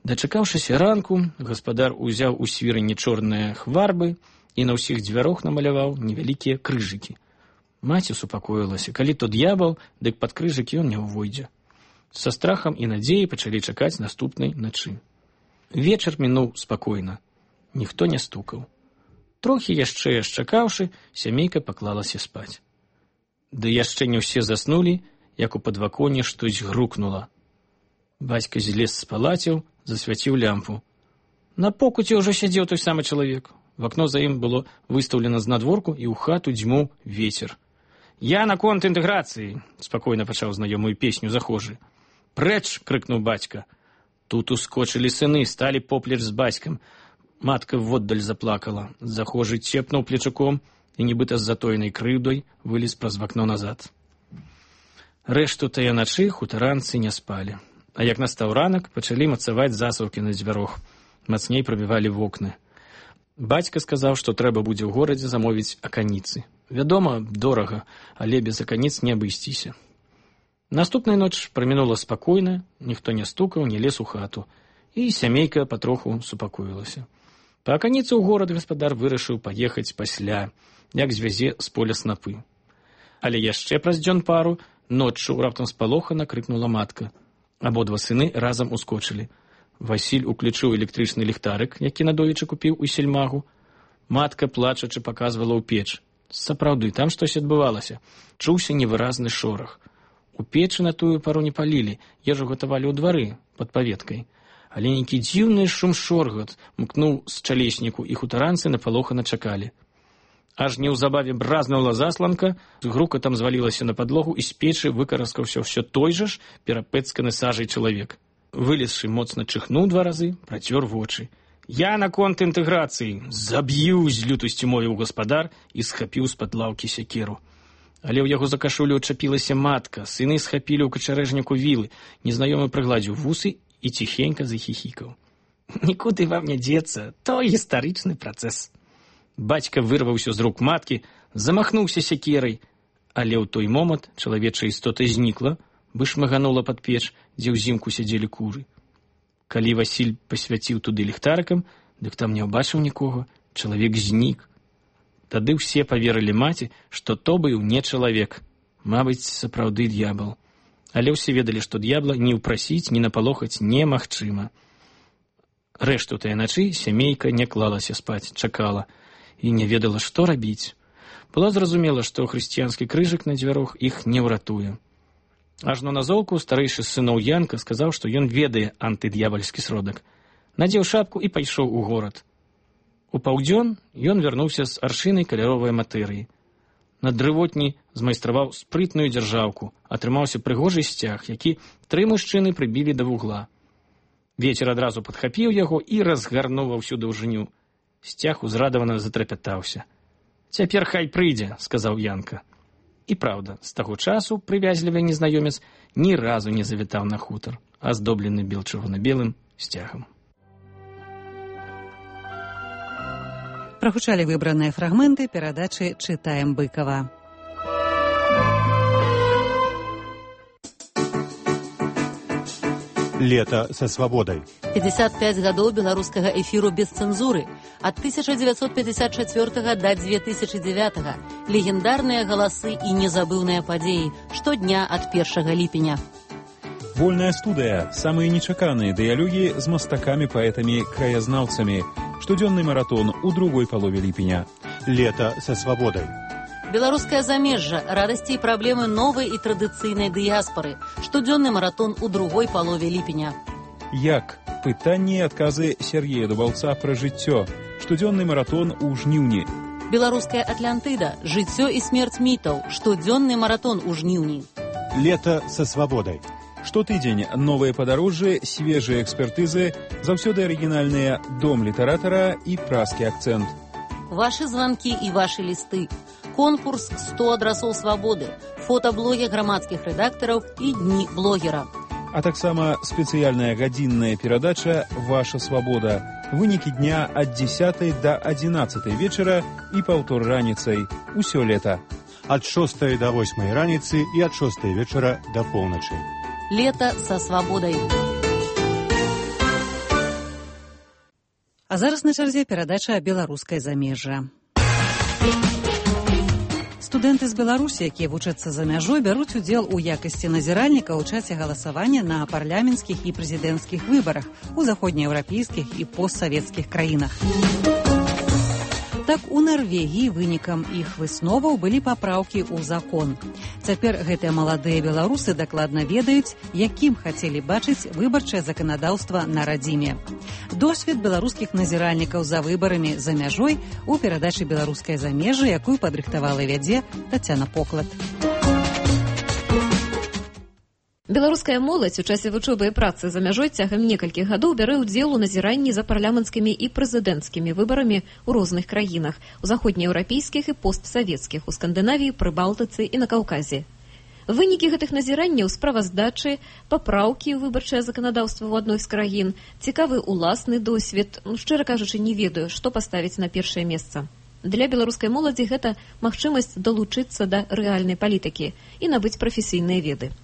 Дачакаўшыся ранку, гаспадар узяў у свірані чорныя хварбы і на ўсіх дзвярох намаляваў невялікія крыжыкі. Маці супакоілася, калі то д'ябал, дык пад крыжыкі ён не ўвойдзе. Са страхам і надзеяй пачалі чакаць наступнай начы. Вечар мінуў спакойна. Ніхто не стукаў. Трохі яшчэ чакаўшы, сямейка паклалася спаць. Ды яшчэ не ўсе заснулі, як у падваконе штось грукнула. Бацька злез з палаціў, засвяціў лямпу. На покуце ўжо сядзеў той самы чалавек. В акно за ім было выстаўлена знадворку, і ў хату дзьмуў вецер. «Я наконт інтэграцыі», — спакойна пачаў знаёмую песню захожы. «Прэч!» — крыкнуў бацька. Тут ускочили сыны, стали поплеч з бацькам. Матка воддаль заплакала. Захожы цепнуў плечуком і, нібыта з затоенай крыўдай, вылез праз вакно назад. Рэшту тая начы хутаранцы не спалі. А як настаў ранак, пачалі мацаваць засаўкі на дзвярох. Мацней прабівалі вокны. Бацька сказаў, што трэба будзе ў горадзе замовіць аканіцы. Вядома, дорага, але без аканіц не абысціся. Наступная ноч прамінула спакойна, ніхто не стукаў, не лез у хату, і сямейка патроху супакоілася. Па аканіцу ў горад гаспадар вырашыў паехаць пасля, як звязе з поля снапы. Але яшчэ праз дзён пару ноччу раптам спалохана крыкнула матка. Абодва сыны разам ускочылі. Васіль уключыў электрычны ліхтарык, які надоечы купіў у сельмагу. Матка, плачачы, паказвала ў печ. Сапраўды, там штось адбывалася. Чуўся невыразны шорах. У печы на тую пару не палілі, ежу гатавалі ў двары пад паветкай. Але нейкі дзіўны шум-шоргат мкнуў з чалесніку, і хутаранцы напалохана чакалі. Аж неўзабаве бразнула засланка, з грукатам звалілася на падлогу, і з печы выкараскаўся ўсё той жа ж перапэцканы сажай чалавек. Вылезшы моцна чихнуў два разы, працёр вочы. «Я наконт інтэграцыі! Заб'ю!» з лютасцю мовіў гаспадар і схапіў з-пад лаўкі сякеру. Але ў яго за кашулю адчапілася матка, сыны схапілі ў качарэжніку вілы, незнаёмы прыгладзіў вусы і ціхенька захіхікаў. «Нікуды вам не дзецца, то гістарычны працэс». Бацька вырваўся з рук маткі, замахнуўся сякерай, але ў той момант чалавечая істота знікла, вышмаганула пад печ, дзе ўзімку сядзелі куры. Калі Васіль пасвяціў туды ліхтарыкам, дык там не ўбачыў нікога, чалавек знік. Тады ўсе паверылі маці, што то быў не чалавек, мабыць, сапраўды д'ябал. Але ўсе ведалі, што д'ябла ні ўпрасіць, ні напалохаць немагчыма. Рэшту тая начы сямейка не клалася спаць, чакала і не ведала, што рабіць. Было зразумела, што хрысціянскі крыжык на дзвярох іх не ўратуе. Ажно на золку старэйшы з сыноў Янка сказаў, што ён ведае антыд'ябальскі сродак. Надзеў шапку і пайшоў у горад. У паўдзён ён вярнуўся з аршынай каляровай матэрыі. На дрывотні змайстраваў спрытную дзяржаўку, атрымаўся прыгожы сцяг, які тры мужчыны прыбілі да вугла. Вецер адразу падхапіў яго і разгарнуў ва ўсю даўжыню. Сцяг узрадавана затрапятаўся. «Цяпер хай прыйдзе», — сказаў Янка. І праўда, з таго часу прывязлівы незнаёмец ні разу не завітаў на хутар, аздоблены бел-чырвона-белым сцягам. Прагучалі выбраныя фрагменты перадачы «Чытаем Быкова». Лето со свободой. пятьдесят пять гадоў беларускага эфіру без цэнзуры. Ад тысяча девятьсот пятьдесят четвёртага да две тысячи девятага. Легендарныя галасы і незабыўныя падзеі. Штодня ад першага ліпеня. Вольная студыя. Самыя нечаканыя дыялогі з мастакамі, паэтамі, краязнаўцамі. Штодзённы маратон у другой палове ліпеня. Лето со свободой. Беларускае замежжа, радасці і праблемы новай і традыцыйнай дыяспары. Штодзённы маратон у другой палове ліпеня. Як? Пытанні і адказы Сергея Дубаўца пра жыццё. Штодзённы маратон у жніўні. Беларуская Атлантыда. Жыццё і смерць мітаў. Штодзённы маратон у жніўні. Лето со свободой. Штотыдзень новыя падарожжы, свежыя экспертызы, заўсёды арыгінальныя дом літаратара і празкі акцэнт. Вашы званкі і вашы лісты. Конкурс сто адрасоў свабоды, фотаблогі грамадскіх рэдактараў і дні блогера. А таксама спецыяльная гадзінная перадача «Ваша свабода». Вынікі дня ад дзесятай да адзінаццатай вечара і паўтор раніцай. Усё лета. Ад шостай да восьмай раніцы і ад шостай вечара да поўначы. Лето со свабодай. А зараз на чарзе перадача «Беларускае замежжа». Студэнты з Беларусі, якія вучацца за мяжой, бяруць удзел у якасці назіральніка ў часе галасавання на парламенцкіх і прэзідэнцкіх выбарах у заходнееўрапейскіх і постсавецкіх краінах. Так, у Нарвегіі вынікам іх высноваў былі папраўкі ў закон. Цяпер гэтыя маладыя беларусы дакладна ведаюць, якім хацелі бачыць выбарчае заканадаўства на радзіме. Досвед беларускіх назіральнікаў за выбарамі за мяжой у перадачы «Беларускае замежжа», якую падрыхтавала і вядзе Тацяна Поклад. Беларуская моладзь у часе вучобы і працы за мяжой цягам некалькіх гадоў бярэ ўдзел у назіранні за парламенцкімі і прэзідэнцкімі выбарамі ў розных краінах, у заходнееўрапейскіх і постсавецкіх, у Скандынавіі, Прыбалтыцы і на Каўказе. Вынікі гэтых назіранняў, справаздачы, папраўкі ў выбарчае заканадаўства ў адной з краін, цікавы уласны досвед, ну, шчыра кажучы, не ведаю, што паставіць на першае месца. Для беларускай моладзі гэта магчымасць далучыцца да рэальнай палітыкі і набыць прафесійныя веды.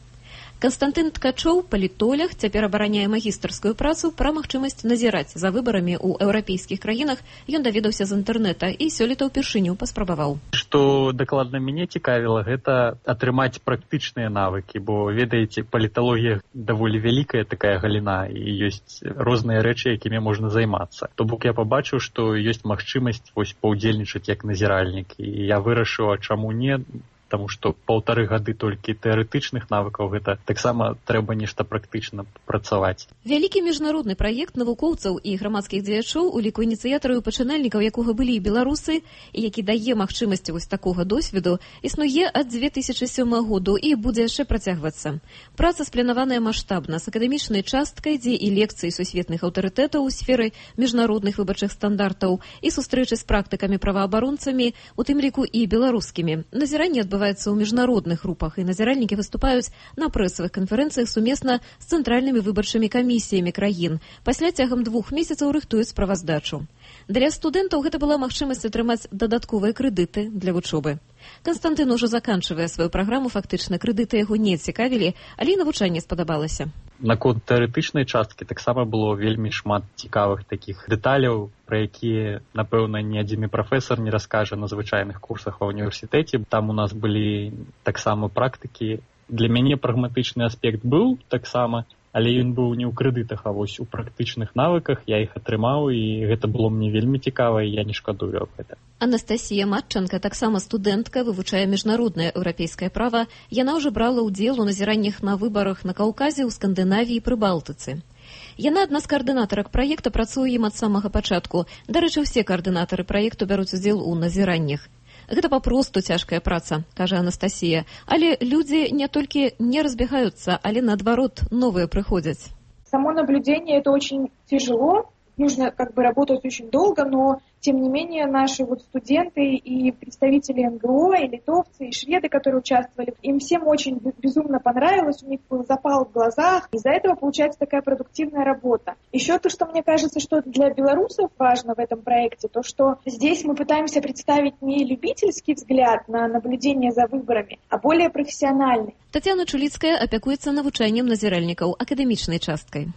Канстантын Ткачоў, палітолог, цяпер абараняе магістарскую працу пра магчымасць назіраць за выбарамі ў еўрапейскіх краінах. Ён даведаўся з інтэрнэта і сёлета ўпершыню паспрабаваў. Што дакладна мяне цікавіла, гэта атрымаць практычныя навыкі, бо, ведаеце, паліталогія даволі вялікая такая галіна, і ёсць розныя рэчы, якімі можна займацца. То бок я пабачыў, што ёсць магчымасць вось паўдзельнічаць як назіральнік, і я вырашыў, а чаму не, таму што паўтары гады толькі тэарэтычных навыкаў, гэта таксама трэба нешта практычна працаваць. Вялікі міжнародны праект навукоўцаў і грамадскіх дзеячоў, у ліку ініцыятараў і пачынальнікаў якога былі і беларусы, і які дае магчымасць вось такога досведу, існуе ад дзве тысячы сёмага году і будзе яшчэ працягвацца. Праца спланаваная маштабна, з акадэмічнай часткай, дзе і лекцыі сусветных аўтарытэтаў у сферы міжнародных выбарчых стандартаў, і сустрэчы з практыкамі праваабаронцамі, у тым ліку і беларускімі. Назіранне адбываецца адбываецца ў міжнародных групах, і назіральнікі выступаюць на прэсавых канферэнцыях сумесна з цэнтральнымі выбарчымі камісіямі краін. Пасля цягам двух месяцаў рыхтуюць справаздачу. Для студэнтаў гэта была магчымасць атрымаць дадатковыя крэдыты для вучобы. Канстантын ужо заканчвае сваю праграму, фактычна крэдыты яго не цікавілі, але і навучанне спадабалася. Наконт тэарэтычнай часткі таксама было вельмі шмат цікавых такіх дэталяў, пра якія, напэўна, ні адзін прафесар не раскажа на звычайных курсах ва ўніверсітэце. Там у нас былі таксама практыкі. Для мяне прагматычны аспект быў таксама, але ён быў не ў крэдытах, а вось у практычных навыках. Я іх атрымаў, і гэта было мне вельмі цікава, і я не шкадую аб гэта. Анастасія Матчанка, таксама студэнтка, вывучае міжнароднае еўрапейскае права. Яна ўжо брала ўдзел у назіраннях на выбарах на Каўказе, у Скандынавіі і Прыбалтыцы. Яна адна з каардынатарак праекта, працуе ім ад самага пачатку. Дарэчы, усе каардынатары праекту бяруць удзел у назіраннях. Гэта папросту цяжкая праца, кажа Анастасія. Але людзі не толькі не разбегаюцца, але наадварот новыя прыходзяць. Само наблюдение — это очень тяжело. Нужно как бы работать очень долго, но тем не менее наши вот студенты и представители эн гэ о, и литовцы, и шведы, которые участвовали, им всем очень безумно понравилось, у них был запал в глазах, из-за этого получается такая продуктивная работа. Еще то, что мне кажется, что для белорусов важно в этом проекте, то, что здесь мы пытаемся представить не любительский взгляд на наблюдение за выборами, а более профессиональный. Татьяна Чуліцкая апякуецца навучаннем назіральнікаў акадэмічнай часткай.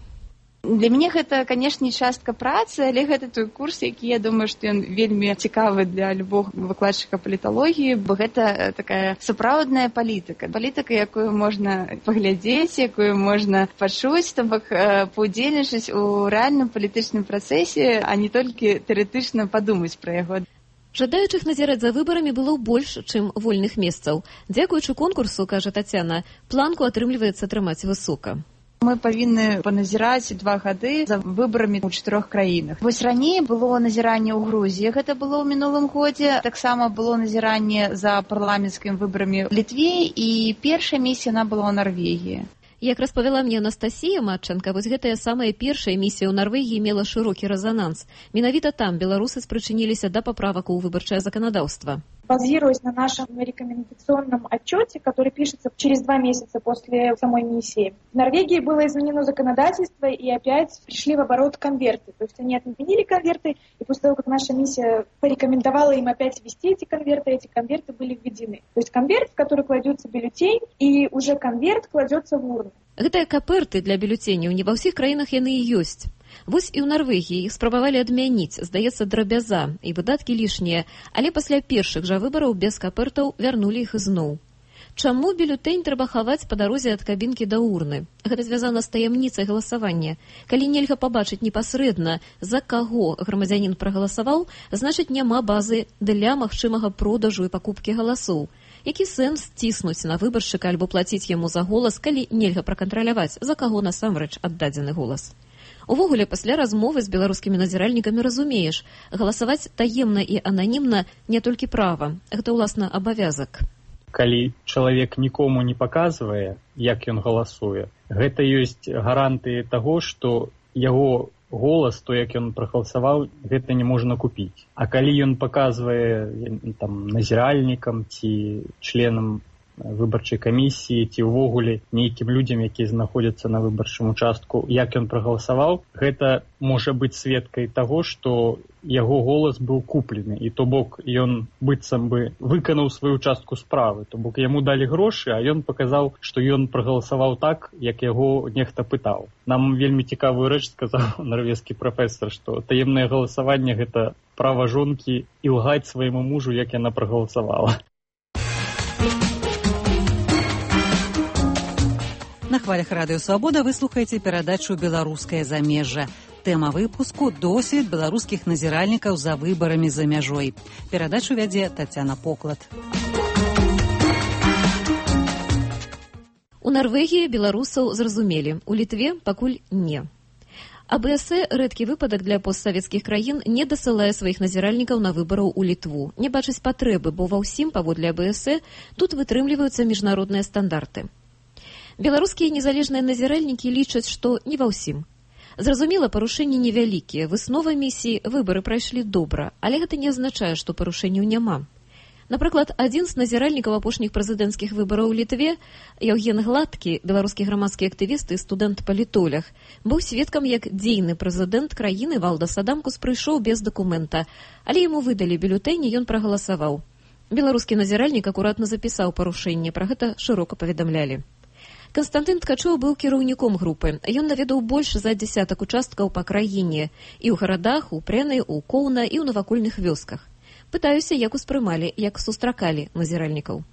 Для мяне гэта, канешне, частка працы, але гэта той курс, які, я думаю, што ён вельмі цікавы для любога выкладчыка паліталогіі, бо гэта такая сапраўдная палітыка. Палітыка, якую можна паглядзець, якую можна пачуць, то бок паўдзельнічаць у рэальным палітычным працэсе, а не толькі тэарэтычна падумаць пра яго. Жадаючых назіраць за выбарамі было больш, чым вольных месцаў. Дзякуючы конкурсу, кажа Тацяна, планку атрымліваецца атрымаць высока. Мы павінны паназіраць два гады за выбарамі ў чатырох краінах. Вось раней было назіранне ў Грузіі, гэта было ў мінулым годзе. Таксама было назіранне за парламенцкімі выбарамі ў Літве, і першая місія она была ў Нарвегіі. Як распавяла мне Анастасія Матчанка, вось гэтая самая першая місія ў Нарвегіі мела шырокі рэзананс. Менавіта там беларусы спрычыніліся да паправак у выбарчае заканадаўства. Базируясь на нашем рекомендационном отчете, который пишется через два месяца после самой миссии, в Норвегии было изменено законодательство, и опять пришли в оборот конверты. То есть они отменили конверты, и после того, как наша миссия порекомендовала им опять ввести эти конверты, эти конверты были введены. То есть конверт, в который кладется бюллетень, и уже конверт кладется в урну. Гэтыя каперты для бюллетэняў не ва ўсіх краінах яны і ёсць. Вось і ў Нарвегіі іх спрабавалі адмяніць, здаецца, драбяза і выдаткі лішнія, але пасля першых жа выбараў без капертаў вярнулі іх ізноў. Чаму бюллетень трэба хаваць па дарозе ад кабінкі да урны? Гэта звязана з таямніцай галасавання. Калі нельга пабачыць непасрэдна, за каго грамадзянін прагаласаваў, значыць няма базы для магчымага продажу і пакупкі галасоў. Які сэнс ціснуць на выбаршчыка альбо плаціць яму за голас, калі нельга пракантраляваць, за каго насамрэч аддадзены голас? Увогуле, пасля размовы з беларускімі назіральнікамі разумееш, галасаваць таемна і ананімна не толькі права, гэта, уласна, абавязак. Калі чалавек нікому не паказвае, як ён галасуе, гэта ёсць гарантыі таго, што яго голас, то як ён прагаласаваў, гэта не можна купіць. А калі ён паказвае там назіральнікам ці членам выбарчай камісіі ці ўвогуле нейкім людзям, якія знаходзяцца на выбарчым участку, як ён прагаласаваў, гэта можа быць сведкай таго, што яго голас быў куплены, і то бок ён быццам бы выканаў сваю частку справы, то бок яму далі грошы, а ён паказаў, што ён прагаласаваў так, як яго нехта пытаў. Нам вельмі цікавую рэч сказаў нарвежскі прафесар, што таемнае галасаванне – гэта права жонкі ілгаць свайму мужу, як яна прагаласавала. На хвалях радыё «Свабода» вы слухаеце перадачу «Беларускае замежжа». Тэма выпуску – досвед беларускіх назіральнікаў за выбарамі за мяжой. Перадачу вядзе Тацяна Поклад. У Нарвегіі беларусаў зразумелі, у Літве пакуль не. А бэ эс э рэдкі выпадак для постсавецкіх краін не дасылае сваіх назіральнікаў на выбараў у Літву. Не бачыць патрэбы, бо ва ўсім, паводле а бэ эс э, тут вытрымліваюцца міжнародныя стандарты. Беларускія незалежныя назіральнікі лічаць, што не ва ўсім. Зразумела, парушэнні невялікія, выснова місіі, выбары прайшлі добра, але гэта не азначае, што парушэнняў няма. Напрыклад, адзін з назіральнікаў апошніх прэзідэнцкіх выбараў у Літве, Яўген Гладкі, беларускі грамадскі актывіст і студэнт-палітолог, быў сведкам, як дзейны прэзідэнт краіны Валдас Адамкус прыйшоў без дакумента, але яму выдалі бюлетэнь, і ён прагаласаваў. Беларускі назіральнік акуратна запісаў парушэнне, пра гэта шырока паведамлялі. Канстантын Ткачоў быў кіраўніком групы. Ён наведаў больш за дзясятак участкаў па краіне. І ў гарадах, у Прэны, у Коўна і ў навакольных вёсках. Пытаюся, як успрымалі, як сустракалі назіральнікаў.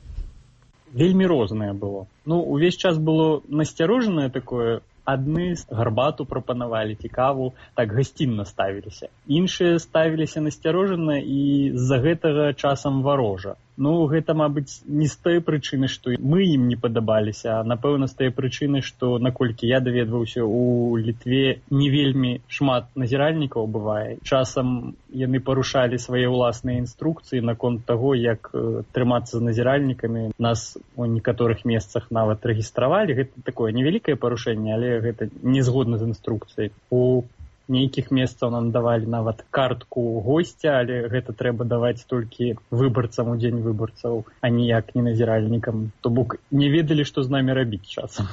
Вельмі рознае было. Ну, увесь час было насцярожанае такое. Адны гарбату прапанавалі, цікаву, так гасцінна ставіліся. Іншыя ставіліся насцярожана і з-за гэтага часам варожа. Ну, гэта, мабыць, не з той прычыны, што мы ім не падабаліся, а, напэўна, з той прычыны, што, наколькі я даведваўся, у Літве не вельмі шмат назіральнікаў бывае. Часам яны парушалі свае ўласныя інструкцыі наконт таго, як э, трымацца з назіральнікамі. Нас у некаторых месцах нават рэгістравалі. Гэта такое невялікае парушэнне, але гэта не згодна з інструкцыяй. У нейкіх месцаў нам давалі нават картку госця, але гэта трэба даваць толькі выбарцам у дзень выбарцаў, а ніяк не назіральнікам. То бок не ведалі, што з намі рабіць часам.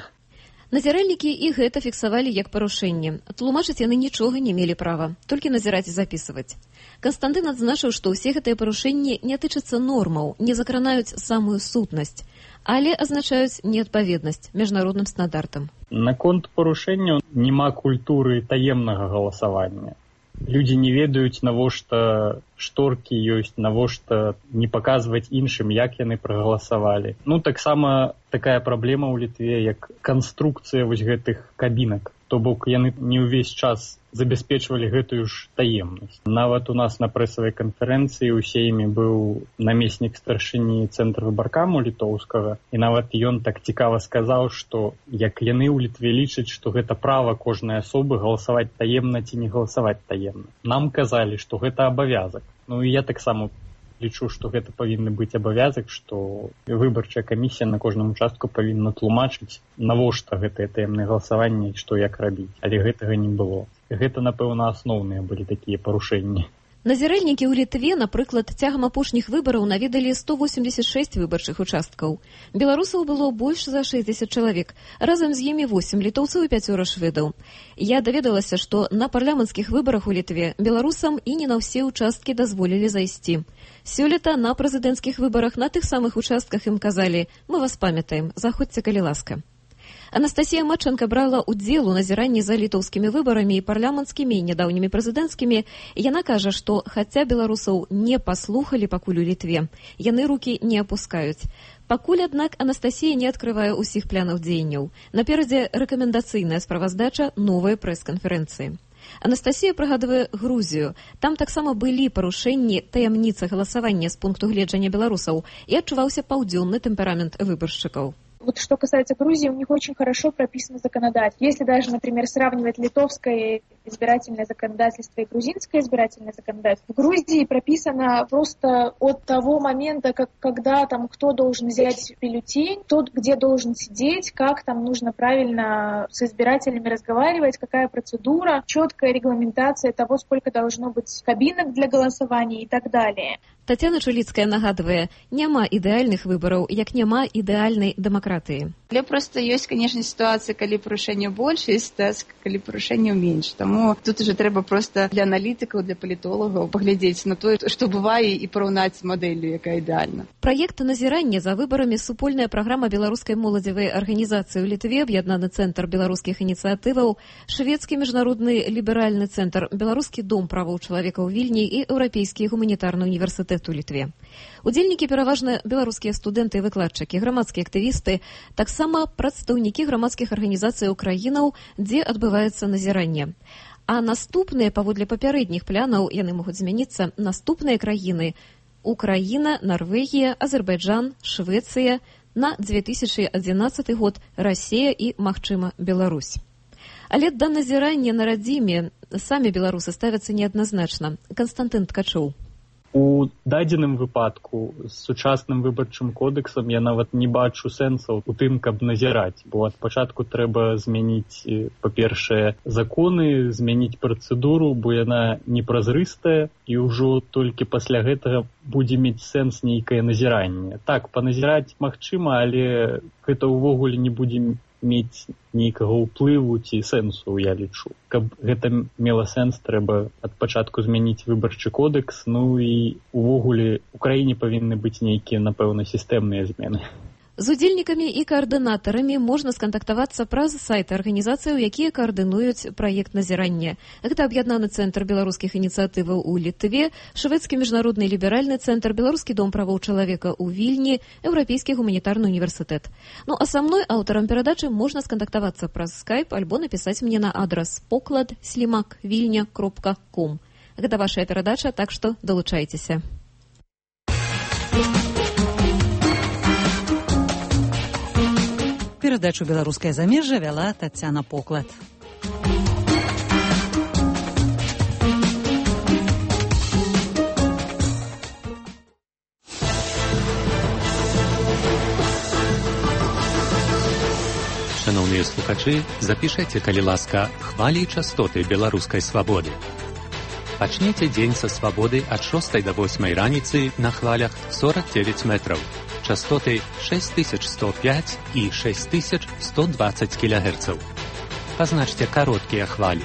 Назіральнікі і гэта фіксавалі як парушэнне. Тлумачыць яны нічога не мелі права, толькі назіраць і запісваць. Канстантын адзначыў, што ўсе гэтыя парушэнні не тычацца нормаў, не закранаюць самую сутнасць, але азначаюць неадпаведнасць міжнародным стандартам. Наконт парушэнняў няма культуры таемнага галасавання. Людзі не ведаюць, навошта шторкі ёсць, навошта не паказваць іншым, як яны прагаласавалі. Ну, таксама такая праблема ў Літве, як канструкцыя вось гэтых кабінак. То бок яны не ўвесь час забяспечвалі гэтую ж таемнасць. Нават у нас на прэсавай канферэнцыі ў Сейме быў намеснік старшыні цэнтра выбаркаму літоўскага, і нават ён так цікава сказаў, што як яны ў Літве лічаць, што гэта права кожнай асобы галасаваць таемна ці не галасаваць таемна. Нам казалі, што гэта абавязак. Ну і я таксама лічу, што гэта павінны быць абавязак, што выбарчая камісія на кожным участку павінна тлумачыць, навошта гэтае таемнае галасаванне і што як рабіць. Але гэтага не было. Гэта, напэўна, асноўныя былі такія парушэнні. Назіральнікі ў Літве, напрыклад, цягам апошніх выбараў наведалі сто восемьдесят шесть выбарчых участкаў. Беларусаў было больш за шэсцьдзесят чалавек, разам з імі восемь літоўцаў і пяцёра шведаў. Я даведалася, што на парламенцкіх выбарах у Літве беларусам і не на ўсе участкі дазволілі зайсці. Сёлета на прэзідэнцкіх выбарах на тых самых участках ім казалі: «Мы вас памятаем, заходзьце, калі ласка». Анастасія Матчанка брала ўдзел у назіранні за літоўскімі выбарамі і парламенцкімі і нядаўнімі прэзідэнцкімі. Яна кажа, што хаця беларусаў не паслухалі пакуль у Літве, яны рукі не апускаюць. Пакуль, аднак, Анастасія не адкрывае ўсіх планаў дзеянняў. Наперадзе рэкамендацыйная справаздача новай прэс-канферэнцыі. Анастасія прыгадвае Грузію. Там таксама былі парушэнні таямніцы галасавання з пункту гледжання беларусаў і адчуваўся паўдзённы тэмперамент выбаршчыкаў. Вот что касается Грузии, у них очень хорошо прописано законодательство. Если даже, например, сравнивать литовское избирательное законодательство и грузинское избирательное законодательство. В Грузии прописано просто от того момента, как, когда там кто должен взять бюллетень, тот, где должен сидеть, как там нужно правильно с избирателями разговаривать, какая процедура, четкая регламентация того, сколько должно быть кабинок для голосования и так далее. Тацяна Чуліцкая нагадвае, няма ідэальных выбараў, як няма ідэальнай дэмакратыі. Але проста ёсць, канешне, сітуацыі, калі парушэнняў больш, ёсць сітуацыі, калі парушэнняў менш. Таму тут уже трэба проста для аналітыкаў, для палітолагаў паглядзець на тое, што бывае, і параўнаць мадэллю, якая ідэальна. Праект назірання за выбарамі супольная праграма беларускай моладзевай арганізацыі ў Літве, аб'яднаны цэнтр беларускіх ініцыятываў, шведскі міжнародны ліберальны цэнтр, беларускі дом правоў чалавека ў Вільні і еўрапейскі гуманітарны універсітэт у Літве. Удзельнікі пераважна беларускія студэнты і выкладчыкі, грамадскія актывісты, таксама прадстаўнікі грамадскіх арганізацый краінаў, дзе адбываецца назіранне. А наступныя, паводле папярэдніх планаў, яны могуць змяніцца, наступныя краіны – Украіна, Нарвегія, Азербайджан, Швецыя, на две тысячы адзінаццаты год Расія і, магчыма, Беларусь. Але да назірання на радзіме самі беларусы ставяцца неадназначна. Канстантын Ткачоў. У дадзеным выпадку з сучасным выбарчым кодэксам я нават не бачу сэнсаў у тым, каб назіраць, бо ад пачатку трэба змяніць, па-першае, законы, змяніць працэдуру, бо яна непразрыстая, і ўжо толькі пасля гэтага будзе мець сэнс нейкае назіранне. Так, паназіраць магчыма, але гэта ўвогуле не будзе мець нейкага ўплыву ці сэнсу, я лічу. Каб гэта мела сэнс, трэба ад пачатку змяніць выбарчы кодэкс, ну і увогуле у краіне павінны быць нейкія, напэўна, сістэмныя змены. З удзельнікамі і каардынатарамі можна скантактавацца праз сайты арганізацыяў, якія каардынуюць праект назірання. Гэта аб'яднаны цэнтр беларускіх ініцыятываў у Літве, шведскі міжнародны ліберальны цэнтр, беларускі дом правоў чалавека ў Вільні, еўрапейскі гуманітарны універсітэт. Ну а са мной, аўтарам перадачы, можна скантактавацца праз скайп альбо напісаць мне на адрас поклад слімак вільня кропка ком. Гэта вашая перадача, так што далучайцеся. Перадачу «Беларускае замежжа» вяла Тацяна Поклад. Шановныя слухачы, запішайце, калі ласка, хвалі і частоты беларускай свабоды. Пачнеце дзень са свабоды ад шостай да восьмай раніцы на хвалях сорок девять метраў. Частоты шесть тысяч сто пять и шесть тысяч сто двадцать килогерцаў. Пазначце кароткія хвалі.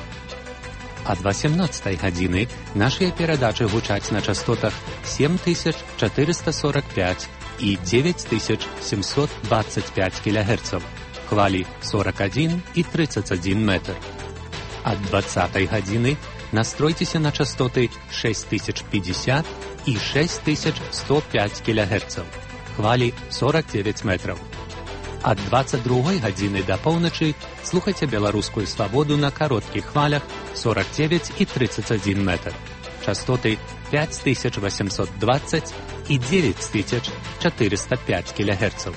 Ад восемнадцатай гадзіны нашыя перадачы гучаць на частотах семь тысяч четыреста сорок пять и девять тысяч семьсот двадцать пять килогерцаў. Хвалі сорок один и тридцать один метр. Ад двадцатай гадзіны настройцеся на частоты шесть тысяч пятьдесят и шесть тысяч сто пять килогерцаў. Хвалі сорок девять метраў. Ад двадцать другой гадзіны да поўначы слухайце беларускую свабоду на кароткіх хвалях сорок девять и тридцать один метр. Частоты пять тысяч восемьсот двадцать и девять тысяч четыреста пять килогерцаў.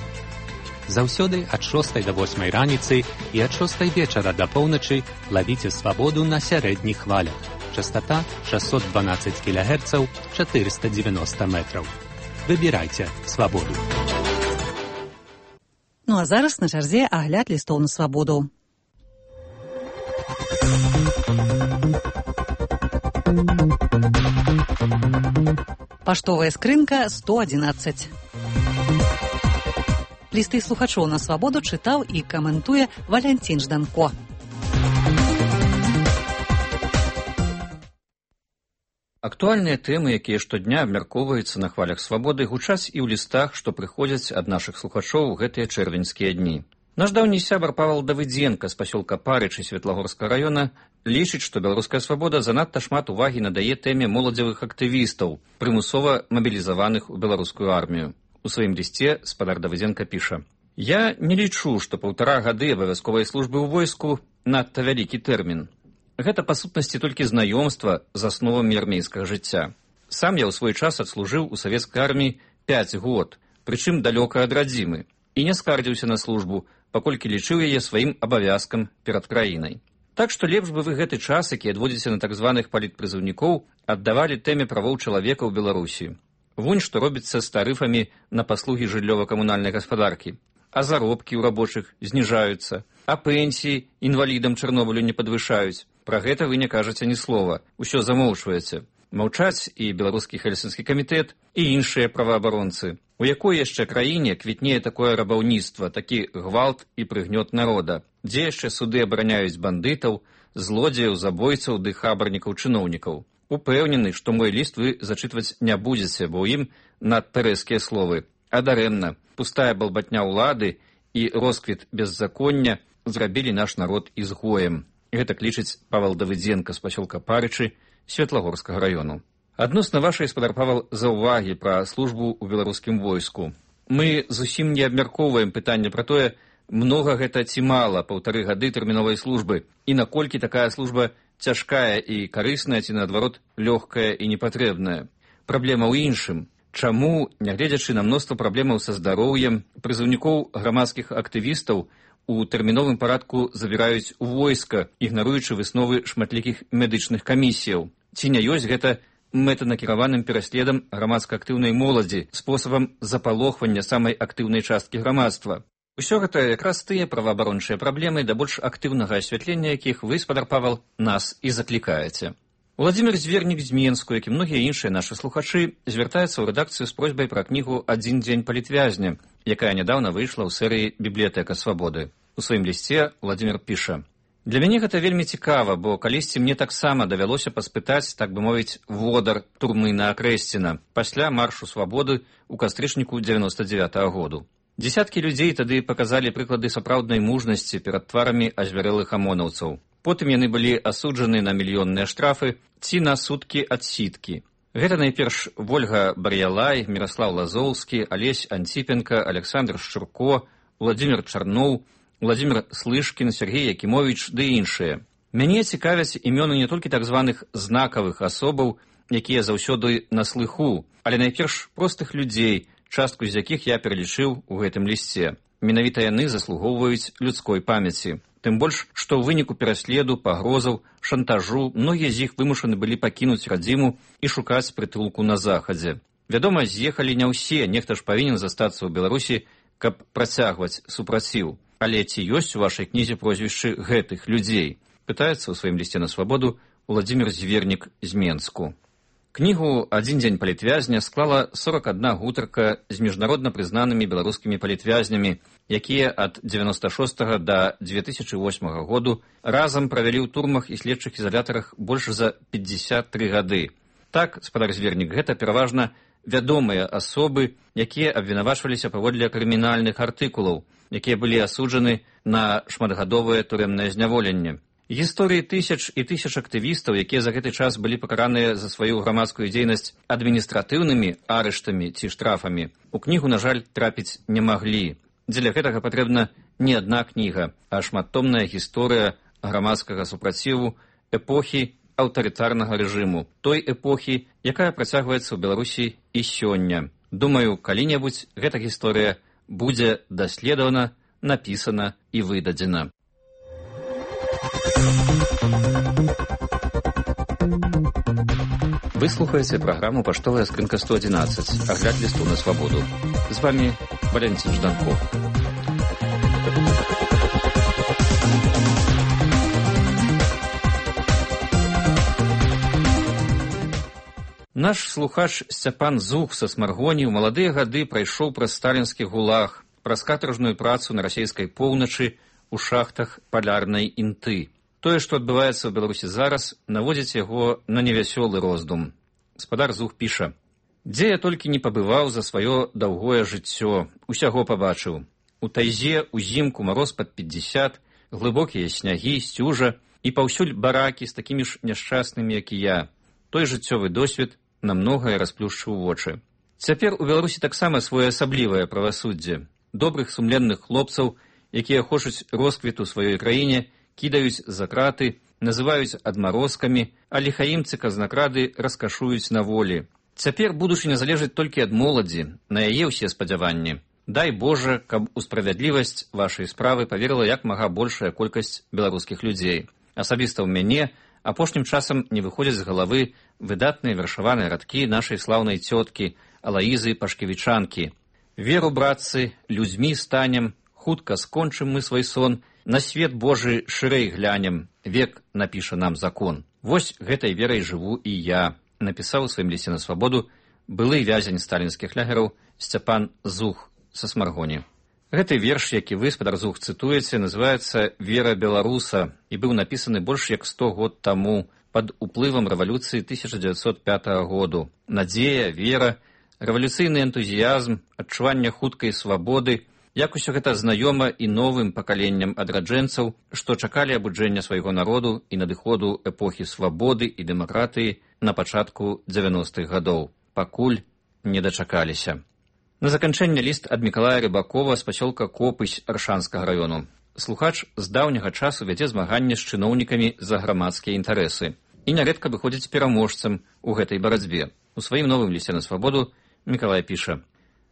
Заўсёды ад шостай да восьмай раніцы і ад шостай вечара да поўначы лавіце свабоду на сярэдніх хвалях. Частота шестьсот двенадцать килогерцаў, четыреста девяносто метраў. Выбірайце свабоду. Ну а зараз на чарзе агляд лістоў на свабоду. Паштовая скрынка сто одиннадцать. Лісты слухачоў на свабоду чытаў і каментуе Валянцін Жданко. Актуальныя тэмы, якія штодня абмяркоўваюцца на хвалях свабоды, гучаць і ў лістах, што прыходзяць ад нашых слухачоў у гэтыя чэрвеньскія дні. Наш даўні сябар Павал Давыдзенка з пасёлка Парычы Светлагорскага раёна лічыць, што беларуская свабода занадта шмат увагі надае тэме моладзевых актывістаў, прымусова мабілізаваных у беларускую армію. У сваім лісце спадар Давыдзенка піша: «Я не лічу, што паўтара гады абавязковай службы ў войску надта вялікі тэрмін. Гэта, па сутнасці, толькі знаёмства з асновамі армейскага жыцця. Сам я ў свой час адслужыў у савецкай арміі пяць год, прычым далёка ад радзімы, і не скардзіўся на службу, паколькі лічыў яе сваім абавязкам перад краінай. Так што лепш бы вы гэты час, які адводзіце на так званых палітпрызыўнікоў, аддавалі тэме правоў чалавека ў Беларусі. Вунь што робіцца з тарыфамі на паслугі жыллёва-камунальнай гаспадаркі. А заробкі ў рабочых зніжаюцца, а пенсіі інвалідам Чарнобылю не падвышаюць. Пра гэта вы не кажаце ні слова, усё замоўчваеце. Маўчаць і беларускі хельсінскі камітэт, і іншыя праваабаронцы. У якой яшчэ краіне квітнее такое рабаўніцтва, такі гвалт і прыгнёт народа, дзе яшчэ суды абараняюць бандытаў, злодзеяў, забойцаў ды хабарнікаў-чыноўнікаў. Упэўнены, што мой ліст вы зачытваць не будзеце, бо ў ім надта рэзкія словы. А дарэмна, пустая балбатня ўлады і росквіт беззаконня зрабілі наш народ ізгоем. Гэта лічыць Павел Давыдзенка з пасёлка Парычы Светлагорскага раёну. Адносна вашай, спадар Павел, заўвагі пра службу ў беларускім войску. Мы зусім не абмяркоўваем пытанне пра тое, многа гэта ці мала паўтары гады тэрміновай службы, і наколькі такая служба цяжкая і карысная, ці наадварот лёгкая і непатрэбная. Праблема ў іншым. Чаму, нягледзячы на мноства праблемаў са здароўем, прызыўнікоў грамадскіх актывістаў у тэрміновым парадку забіраюць у войска, ігнаруючы высновы шматлікіх медычных камісіяў? Ці не ёсць гэта мэтанакіраваным пераследам грамадска-актыўнай моладзі, спосабам запалохвання самай актыўнай часткі грамадства? Усё гэта якраз тыя праваабарончыя праблемы, да больш актыўнага асвятлення якіх вы, спадар Павел, нас і заклікаеце. Владимир Звернік з Менску, як і многія іншыя нашы слухачы, звяртаецца ў рэдакцыю з просьбай пра кнігу «Адзін дзень палітвязня», якая нядаўна выйшла ў серыі «Бібліятэка свабоды». У сваім лісце Владимир піша: «Для мяне гэта вельмі цікава, бо калісьці мне таксама давялося паспытаць, так бы мовіць, водар турмы на Акрэсціна пасля маршу свабоды ў кастрычніку дзевяноста дзевятага году. Дзесяткі людзей тады паказалі прыклады сапраўднай мужнасці перад тварамі азвярэлых амонаўцаў. Потым яны былі асуджаны на мільённыя штрафы ці на суткі адсідкі. Гэта найперш Вольга Бар'ялай, Міраслаў Лазоўскі, Алесь Антипенко, Александр Шчурко, Владимир Чарноў, Владимир Слышкін, Сергей Якімовіч ды іншыя. Мяне цікавяць імёны не толькі так званых знакавых асобаў, якія заўсёды на слыху, але найперш простых людзей, частку з якіх я пералічыў у гэтым лісце. Менавіта яны заслугоўваюць людской памяці. Тым больш, што ў выніку пераследу, пагрозаў, шантажу многія з іх вымушаны былі пакінуць радзіму і шукаць прытулку на захадзе. Вядома, з'ехалі не ўсе, нехта ж павінен застацца ў Беларусі, каб працягваць супраціў. Але ці ёсць у вашай кнізе прозвішчы гэтых людзей? Пытаецца ў сваім лісце на свабоду Владимир Звернік з Менску. Кнігу «Адзін дзень палітвязня» склала сорок адна гутарка з міжнародна прызнанымі беларускімі палітвязнямі, якія ад дзевяноста шостага да дзве тысячы восьмага году разам правялі ў турмах і следчых ізалятарах больш за пятьдесят три гады. Так, спадар Звернік, гэта пераважна вядомыя асобы, якія абвінавачваліся паводле крымінальных артыкулаў, якія былі асуджаны на шматгадовае турэмнае зняволенне. Гісторыі тысяч і тысяч актывістаў, якія за гэты час былі пакараныя за сваю грамадскую дзейнасць адміністратыўнымі арыштамі ці штрафамі, у кнігу, на жаль, трапіць не маглі. Дзеля гэтага патрэбна не адна кніга, а шматтомная гісторыя грамадскага супраціву эпохі аўтарытарнага рэжыму, той эпохі, якая працягваецца ў Беларусі і сёння. Думаю, калі-небудзь гэта гісторыя будзе даследавана, напісана і выдадзена. Вы слухаеце праграму «Паштовая скрынка сто адзінаццаць», агляд лісту на свабоду. З вами Валентин Жданков. Наш слухач Сцяпан Зух са Смаргоні ў маладыя гады прайшоў праз сталінскі гулаг, праз катаржную працу на расійскай поўначы у шахтах палярнай інты. Тое, што адбываецца ў Беларусі зараз, наводзіць яго на невясёлы роздум. Спадар Зух піша: «Дзе я толькі не пабываў за сваё даўгое жыццё, усяго пабачыў. У тайзе, узімку мароз пад пятьдесят, глыбокія снягі, сцюжа і паўсюль баракі з такімі ж няшчаснымі, як і я. Той жыццёвы досвед на многае расплюшчыў вочы. Цяпер у Беларусі таксама своеасаблівае правасуддзе. Добрых сумленных хлопцаў, якія хочуць росквіту сваёй краіне, кідаюць за краты, называюць адмарозкамі, а ліхаімцы казнакрады раскашуюць на волі. Цяпер будучыня залежыць толькі ад моладзі, на яе ўсе спадзяванні. Дай Божа, каб у справядлівасць вашай справы паверыла як мага большая колькасць беларускіх людзей. Асабіста ў мяне апошнім часам не выходзяць з галавы выдатныя вершаваныя радкі нашай слаўнай цёткі Алаізы Пашкевічанкі. Веру, братцы, людзьмі станем, хутка скончым мы свой сон, на свет Божы шырэй глянем, век напіша нам закон. Вось гэтай верай жыву і я, напісаў у сваім лісце на свабоду былы вязень сталінскіх лягераў Сцяпан Зух са Смаргоні. Гэты верш, які вы, спадар Зух, цытуеце, называецца «Вера беларуса» і быў напісаны больш як сто год таму пад уплывам рэвалюцыі тысяча дзевяцьсот пятага году. Надзея, вера, рэвалюцыйны энтузіязм, адчуванне хуткай свабоды, як усё гэта знаёма і новым пакаленням адраджэнцаў, што чакалі абуджэння свайго народу і надыходу эпохі свабоды і дэмакратыі на пачатку дзевяностых гадоў. Пакуль не дачакаліся. На заканчэнне ліст ад Мікалая Рыбакова з пасёлка Копысь Аршанскага раёну. Слухач з даўняга часу вядзе змаганне з чыноўнікамі за грамадскія інтарэсы і нярэдка выходзіць пераможцам у гэтай барацьбе. У сваім новым лісце на свабоду Мікалай піша: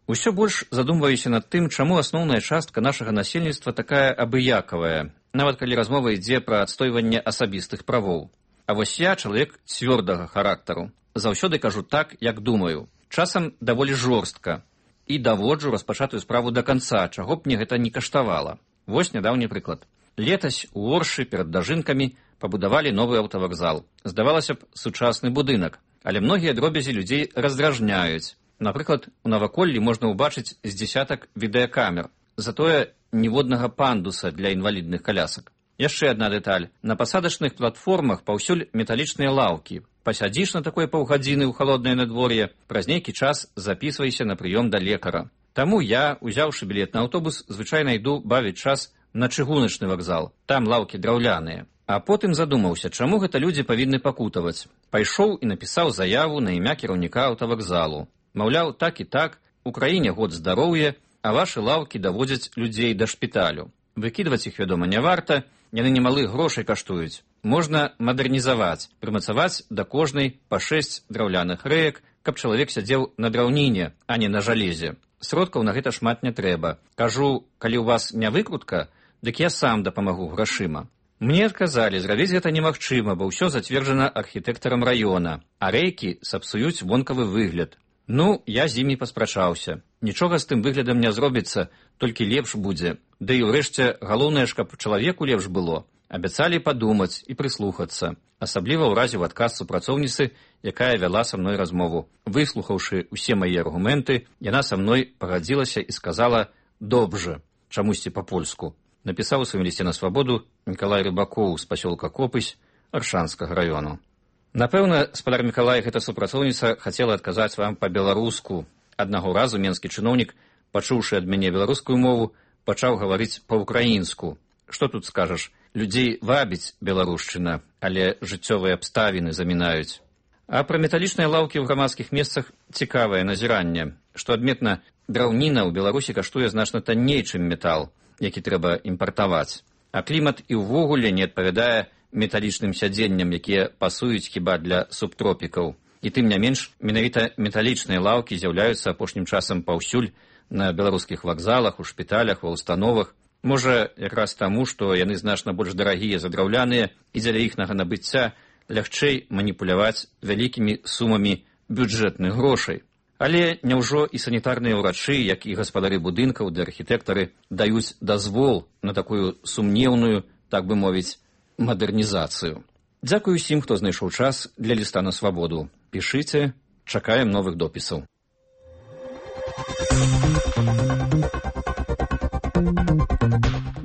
«Усё больш задумваюся над тым, чаму асноўная частка нашага насельніцтва такая абыякавая, нават калі размова ідзе пра адстойванне асабістых правоў. А вось я чалавек цвёрдага характару. Заўсёды кажу так, як думаю. Часам даволі жорстка. І даводжу распачатую справу да канца, чаго б мне гэта не каштавала. Вось нядаўні прыклад. Летась у Оршы перад Дажынкамі пабудавалі новы аўтавакзал. Здавалася б, сучасны будынак, але многія дробязі людзей раздражняюць. Напрыклад, у наваколлі можна ўбачыць з дзесятак відэакамер, затое ніводнага пандуса для інвалідных калясак. Яшчэ адна дэталь. На пасадачных платформах паўсюль металічныя лаўкі. Пасядзіш на такой паўгадзіны ў халоднае надвор'е, праз нейкі час запісвайся на прыём да лекара. Таму я, узяўшы білет на аўтобус, звычайна іду бавіць час на чыгуначны вакзал. Там лаўкі драўляныя. А потым задумаўся, чаму гэта людзі павінны пакутаваць. Пайшоў і напісаў заяву на імя кіраўніка аўтавакзалу. Маўляў, так і так, у краіне год здароўя, а вашы лаўкі даводзяць людзей да шпіталю. Выкідваць іх, вядома, не варта, яны немалых грошай каштуюць. Можна мадэрнізаваць, прымацаваць да кожнай па шэсць драўляных рэек, каб чалавек сядзеў на драўніне, а не на жалезе. Сродкаў на гэта шмат не трэба. Кажу, калі ў вас не выкрутка, дык я сам дапамагу грашыма. Мне адказалі, зрабіць гэта немагчыма, бо ўсё зацверджана архітэктарам раёна, а рэйкі сапсуюць вонкавы выгляд. Ну, я з імі паспрачаўся. Нічога з тым выглядам не зробіцца, толькі лепш будзе. Ды і ўрэшце, галоўнае ж, каб чалавеку лепш было. Абяцалі падумаць і прыслухацца, асабліва ў разе ў адказ супрацоўніцы, якая вяла са мной размову. Выслухаўшы ўсе мае аргументы, яна са мной пагадзілася і сказала «добжа», чамусьці па-польску. Напісаў у сваім лісце на свабоду Мікалай Рыбакоў з пасёлка Копысь Аршанскага раёну. Напэўна, спадар Мікалай, гэта супрацоўніца хацела адказаць вам па-беларуску. Аднаго разу менскі чыноўнік, пачуўшы ад мяне беларускую мову, пачаў гаварыць па-ўкраінску. Што тут скажаш? Людзей вабіць беларушчына, але жыццёвыя абставіны замінаюць. А пра металічныя лаўкі ў грамадскіх месцах цікавае назіранне. Што адметна, драўніна ў Беларусі каштуе значна танней, чым метал, які трэба імпартаваць. А клімат і ўвогуле не адпавядае металічным сядзенням, якія пасуюць хіба для субтропікаў. І тым не менш, менавіта металічныя лаўкі з'яўляюцца апошнім часам паўсюль на беларускіх вакзалах, у шпіталях, ва ўстановах. Можа, якраз таму, што яны значна больш дарагія за драўляныя, і дзеля іхнага набыцця лягчэй маніпуляваць вялікімі сумамі бюджэтных грошай. Але няўжо і санітарныя ўрачы, як і гаспадары будынкаў ды архітэктары даюць дазвол на такую сумнеўную, так бы мовіць, мадэрнізацыю. Дзякую усім, хто знайшоў час для ліста на свабоду. Пішыце, чакаем новых допісаў.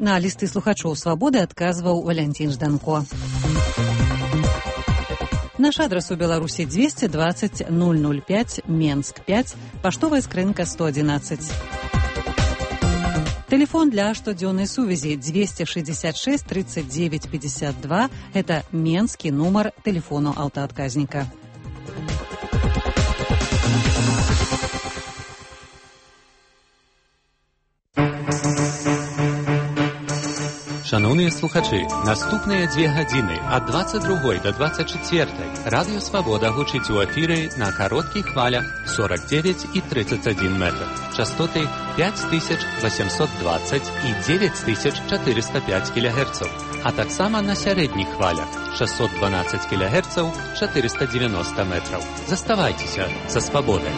На лісты слухачоў свабоды адказваў Валянцін Жданко. Наш адрес у Беларусі двести двадцать ноль ноль пять, Менск пять, паштовая скрынка сто одиннадцать. Телефон для штодзённай сувязі двести шестьдесят шесть тридцать девять пятьдесят два. Это менскі нумар телефону аўтаадказніка. Шановні слухачі, наступні дві години від двадцять другої до двадцять четвертої Радіо Свобода гучить у ефірі на коротких хвалях сорок дев'ять і тридцять один метр, частоти п'ять тисяч вісімсот двадцять і дев'ять тисяч чотириста п'ять кілогерців, а так само на середніх хвалях шістсот дванадцять кілогерців, чотириста дев'яносто метрів. Заставайтеся за Свободою.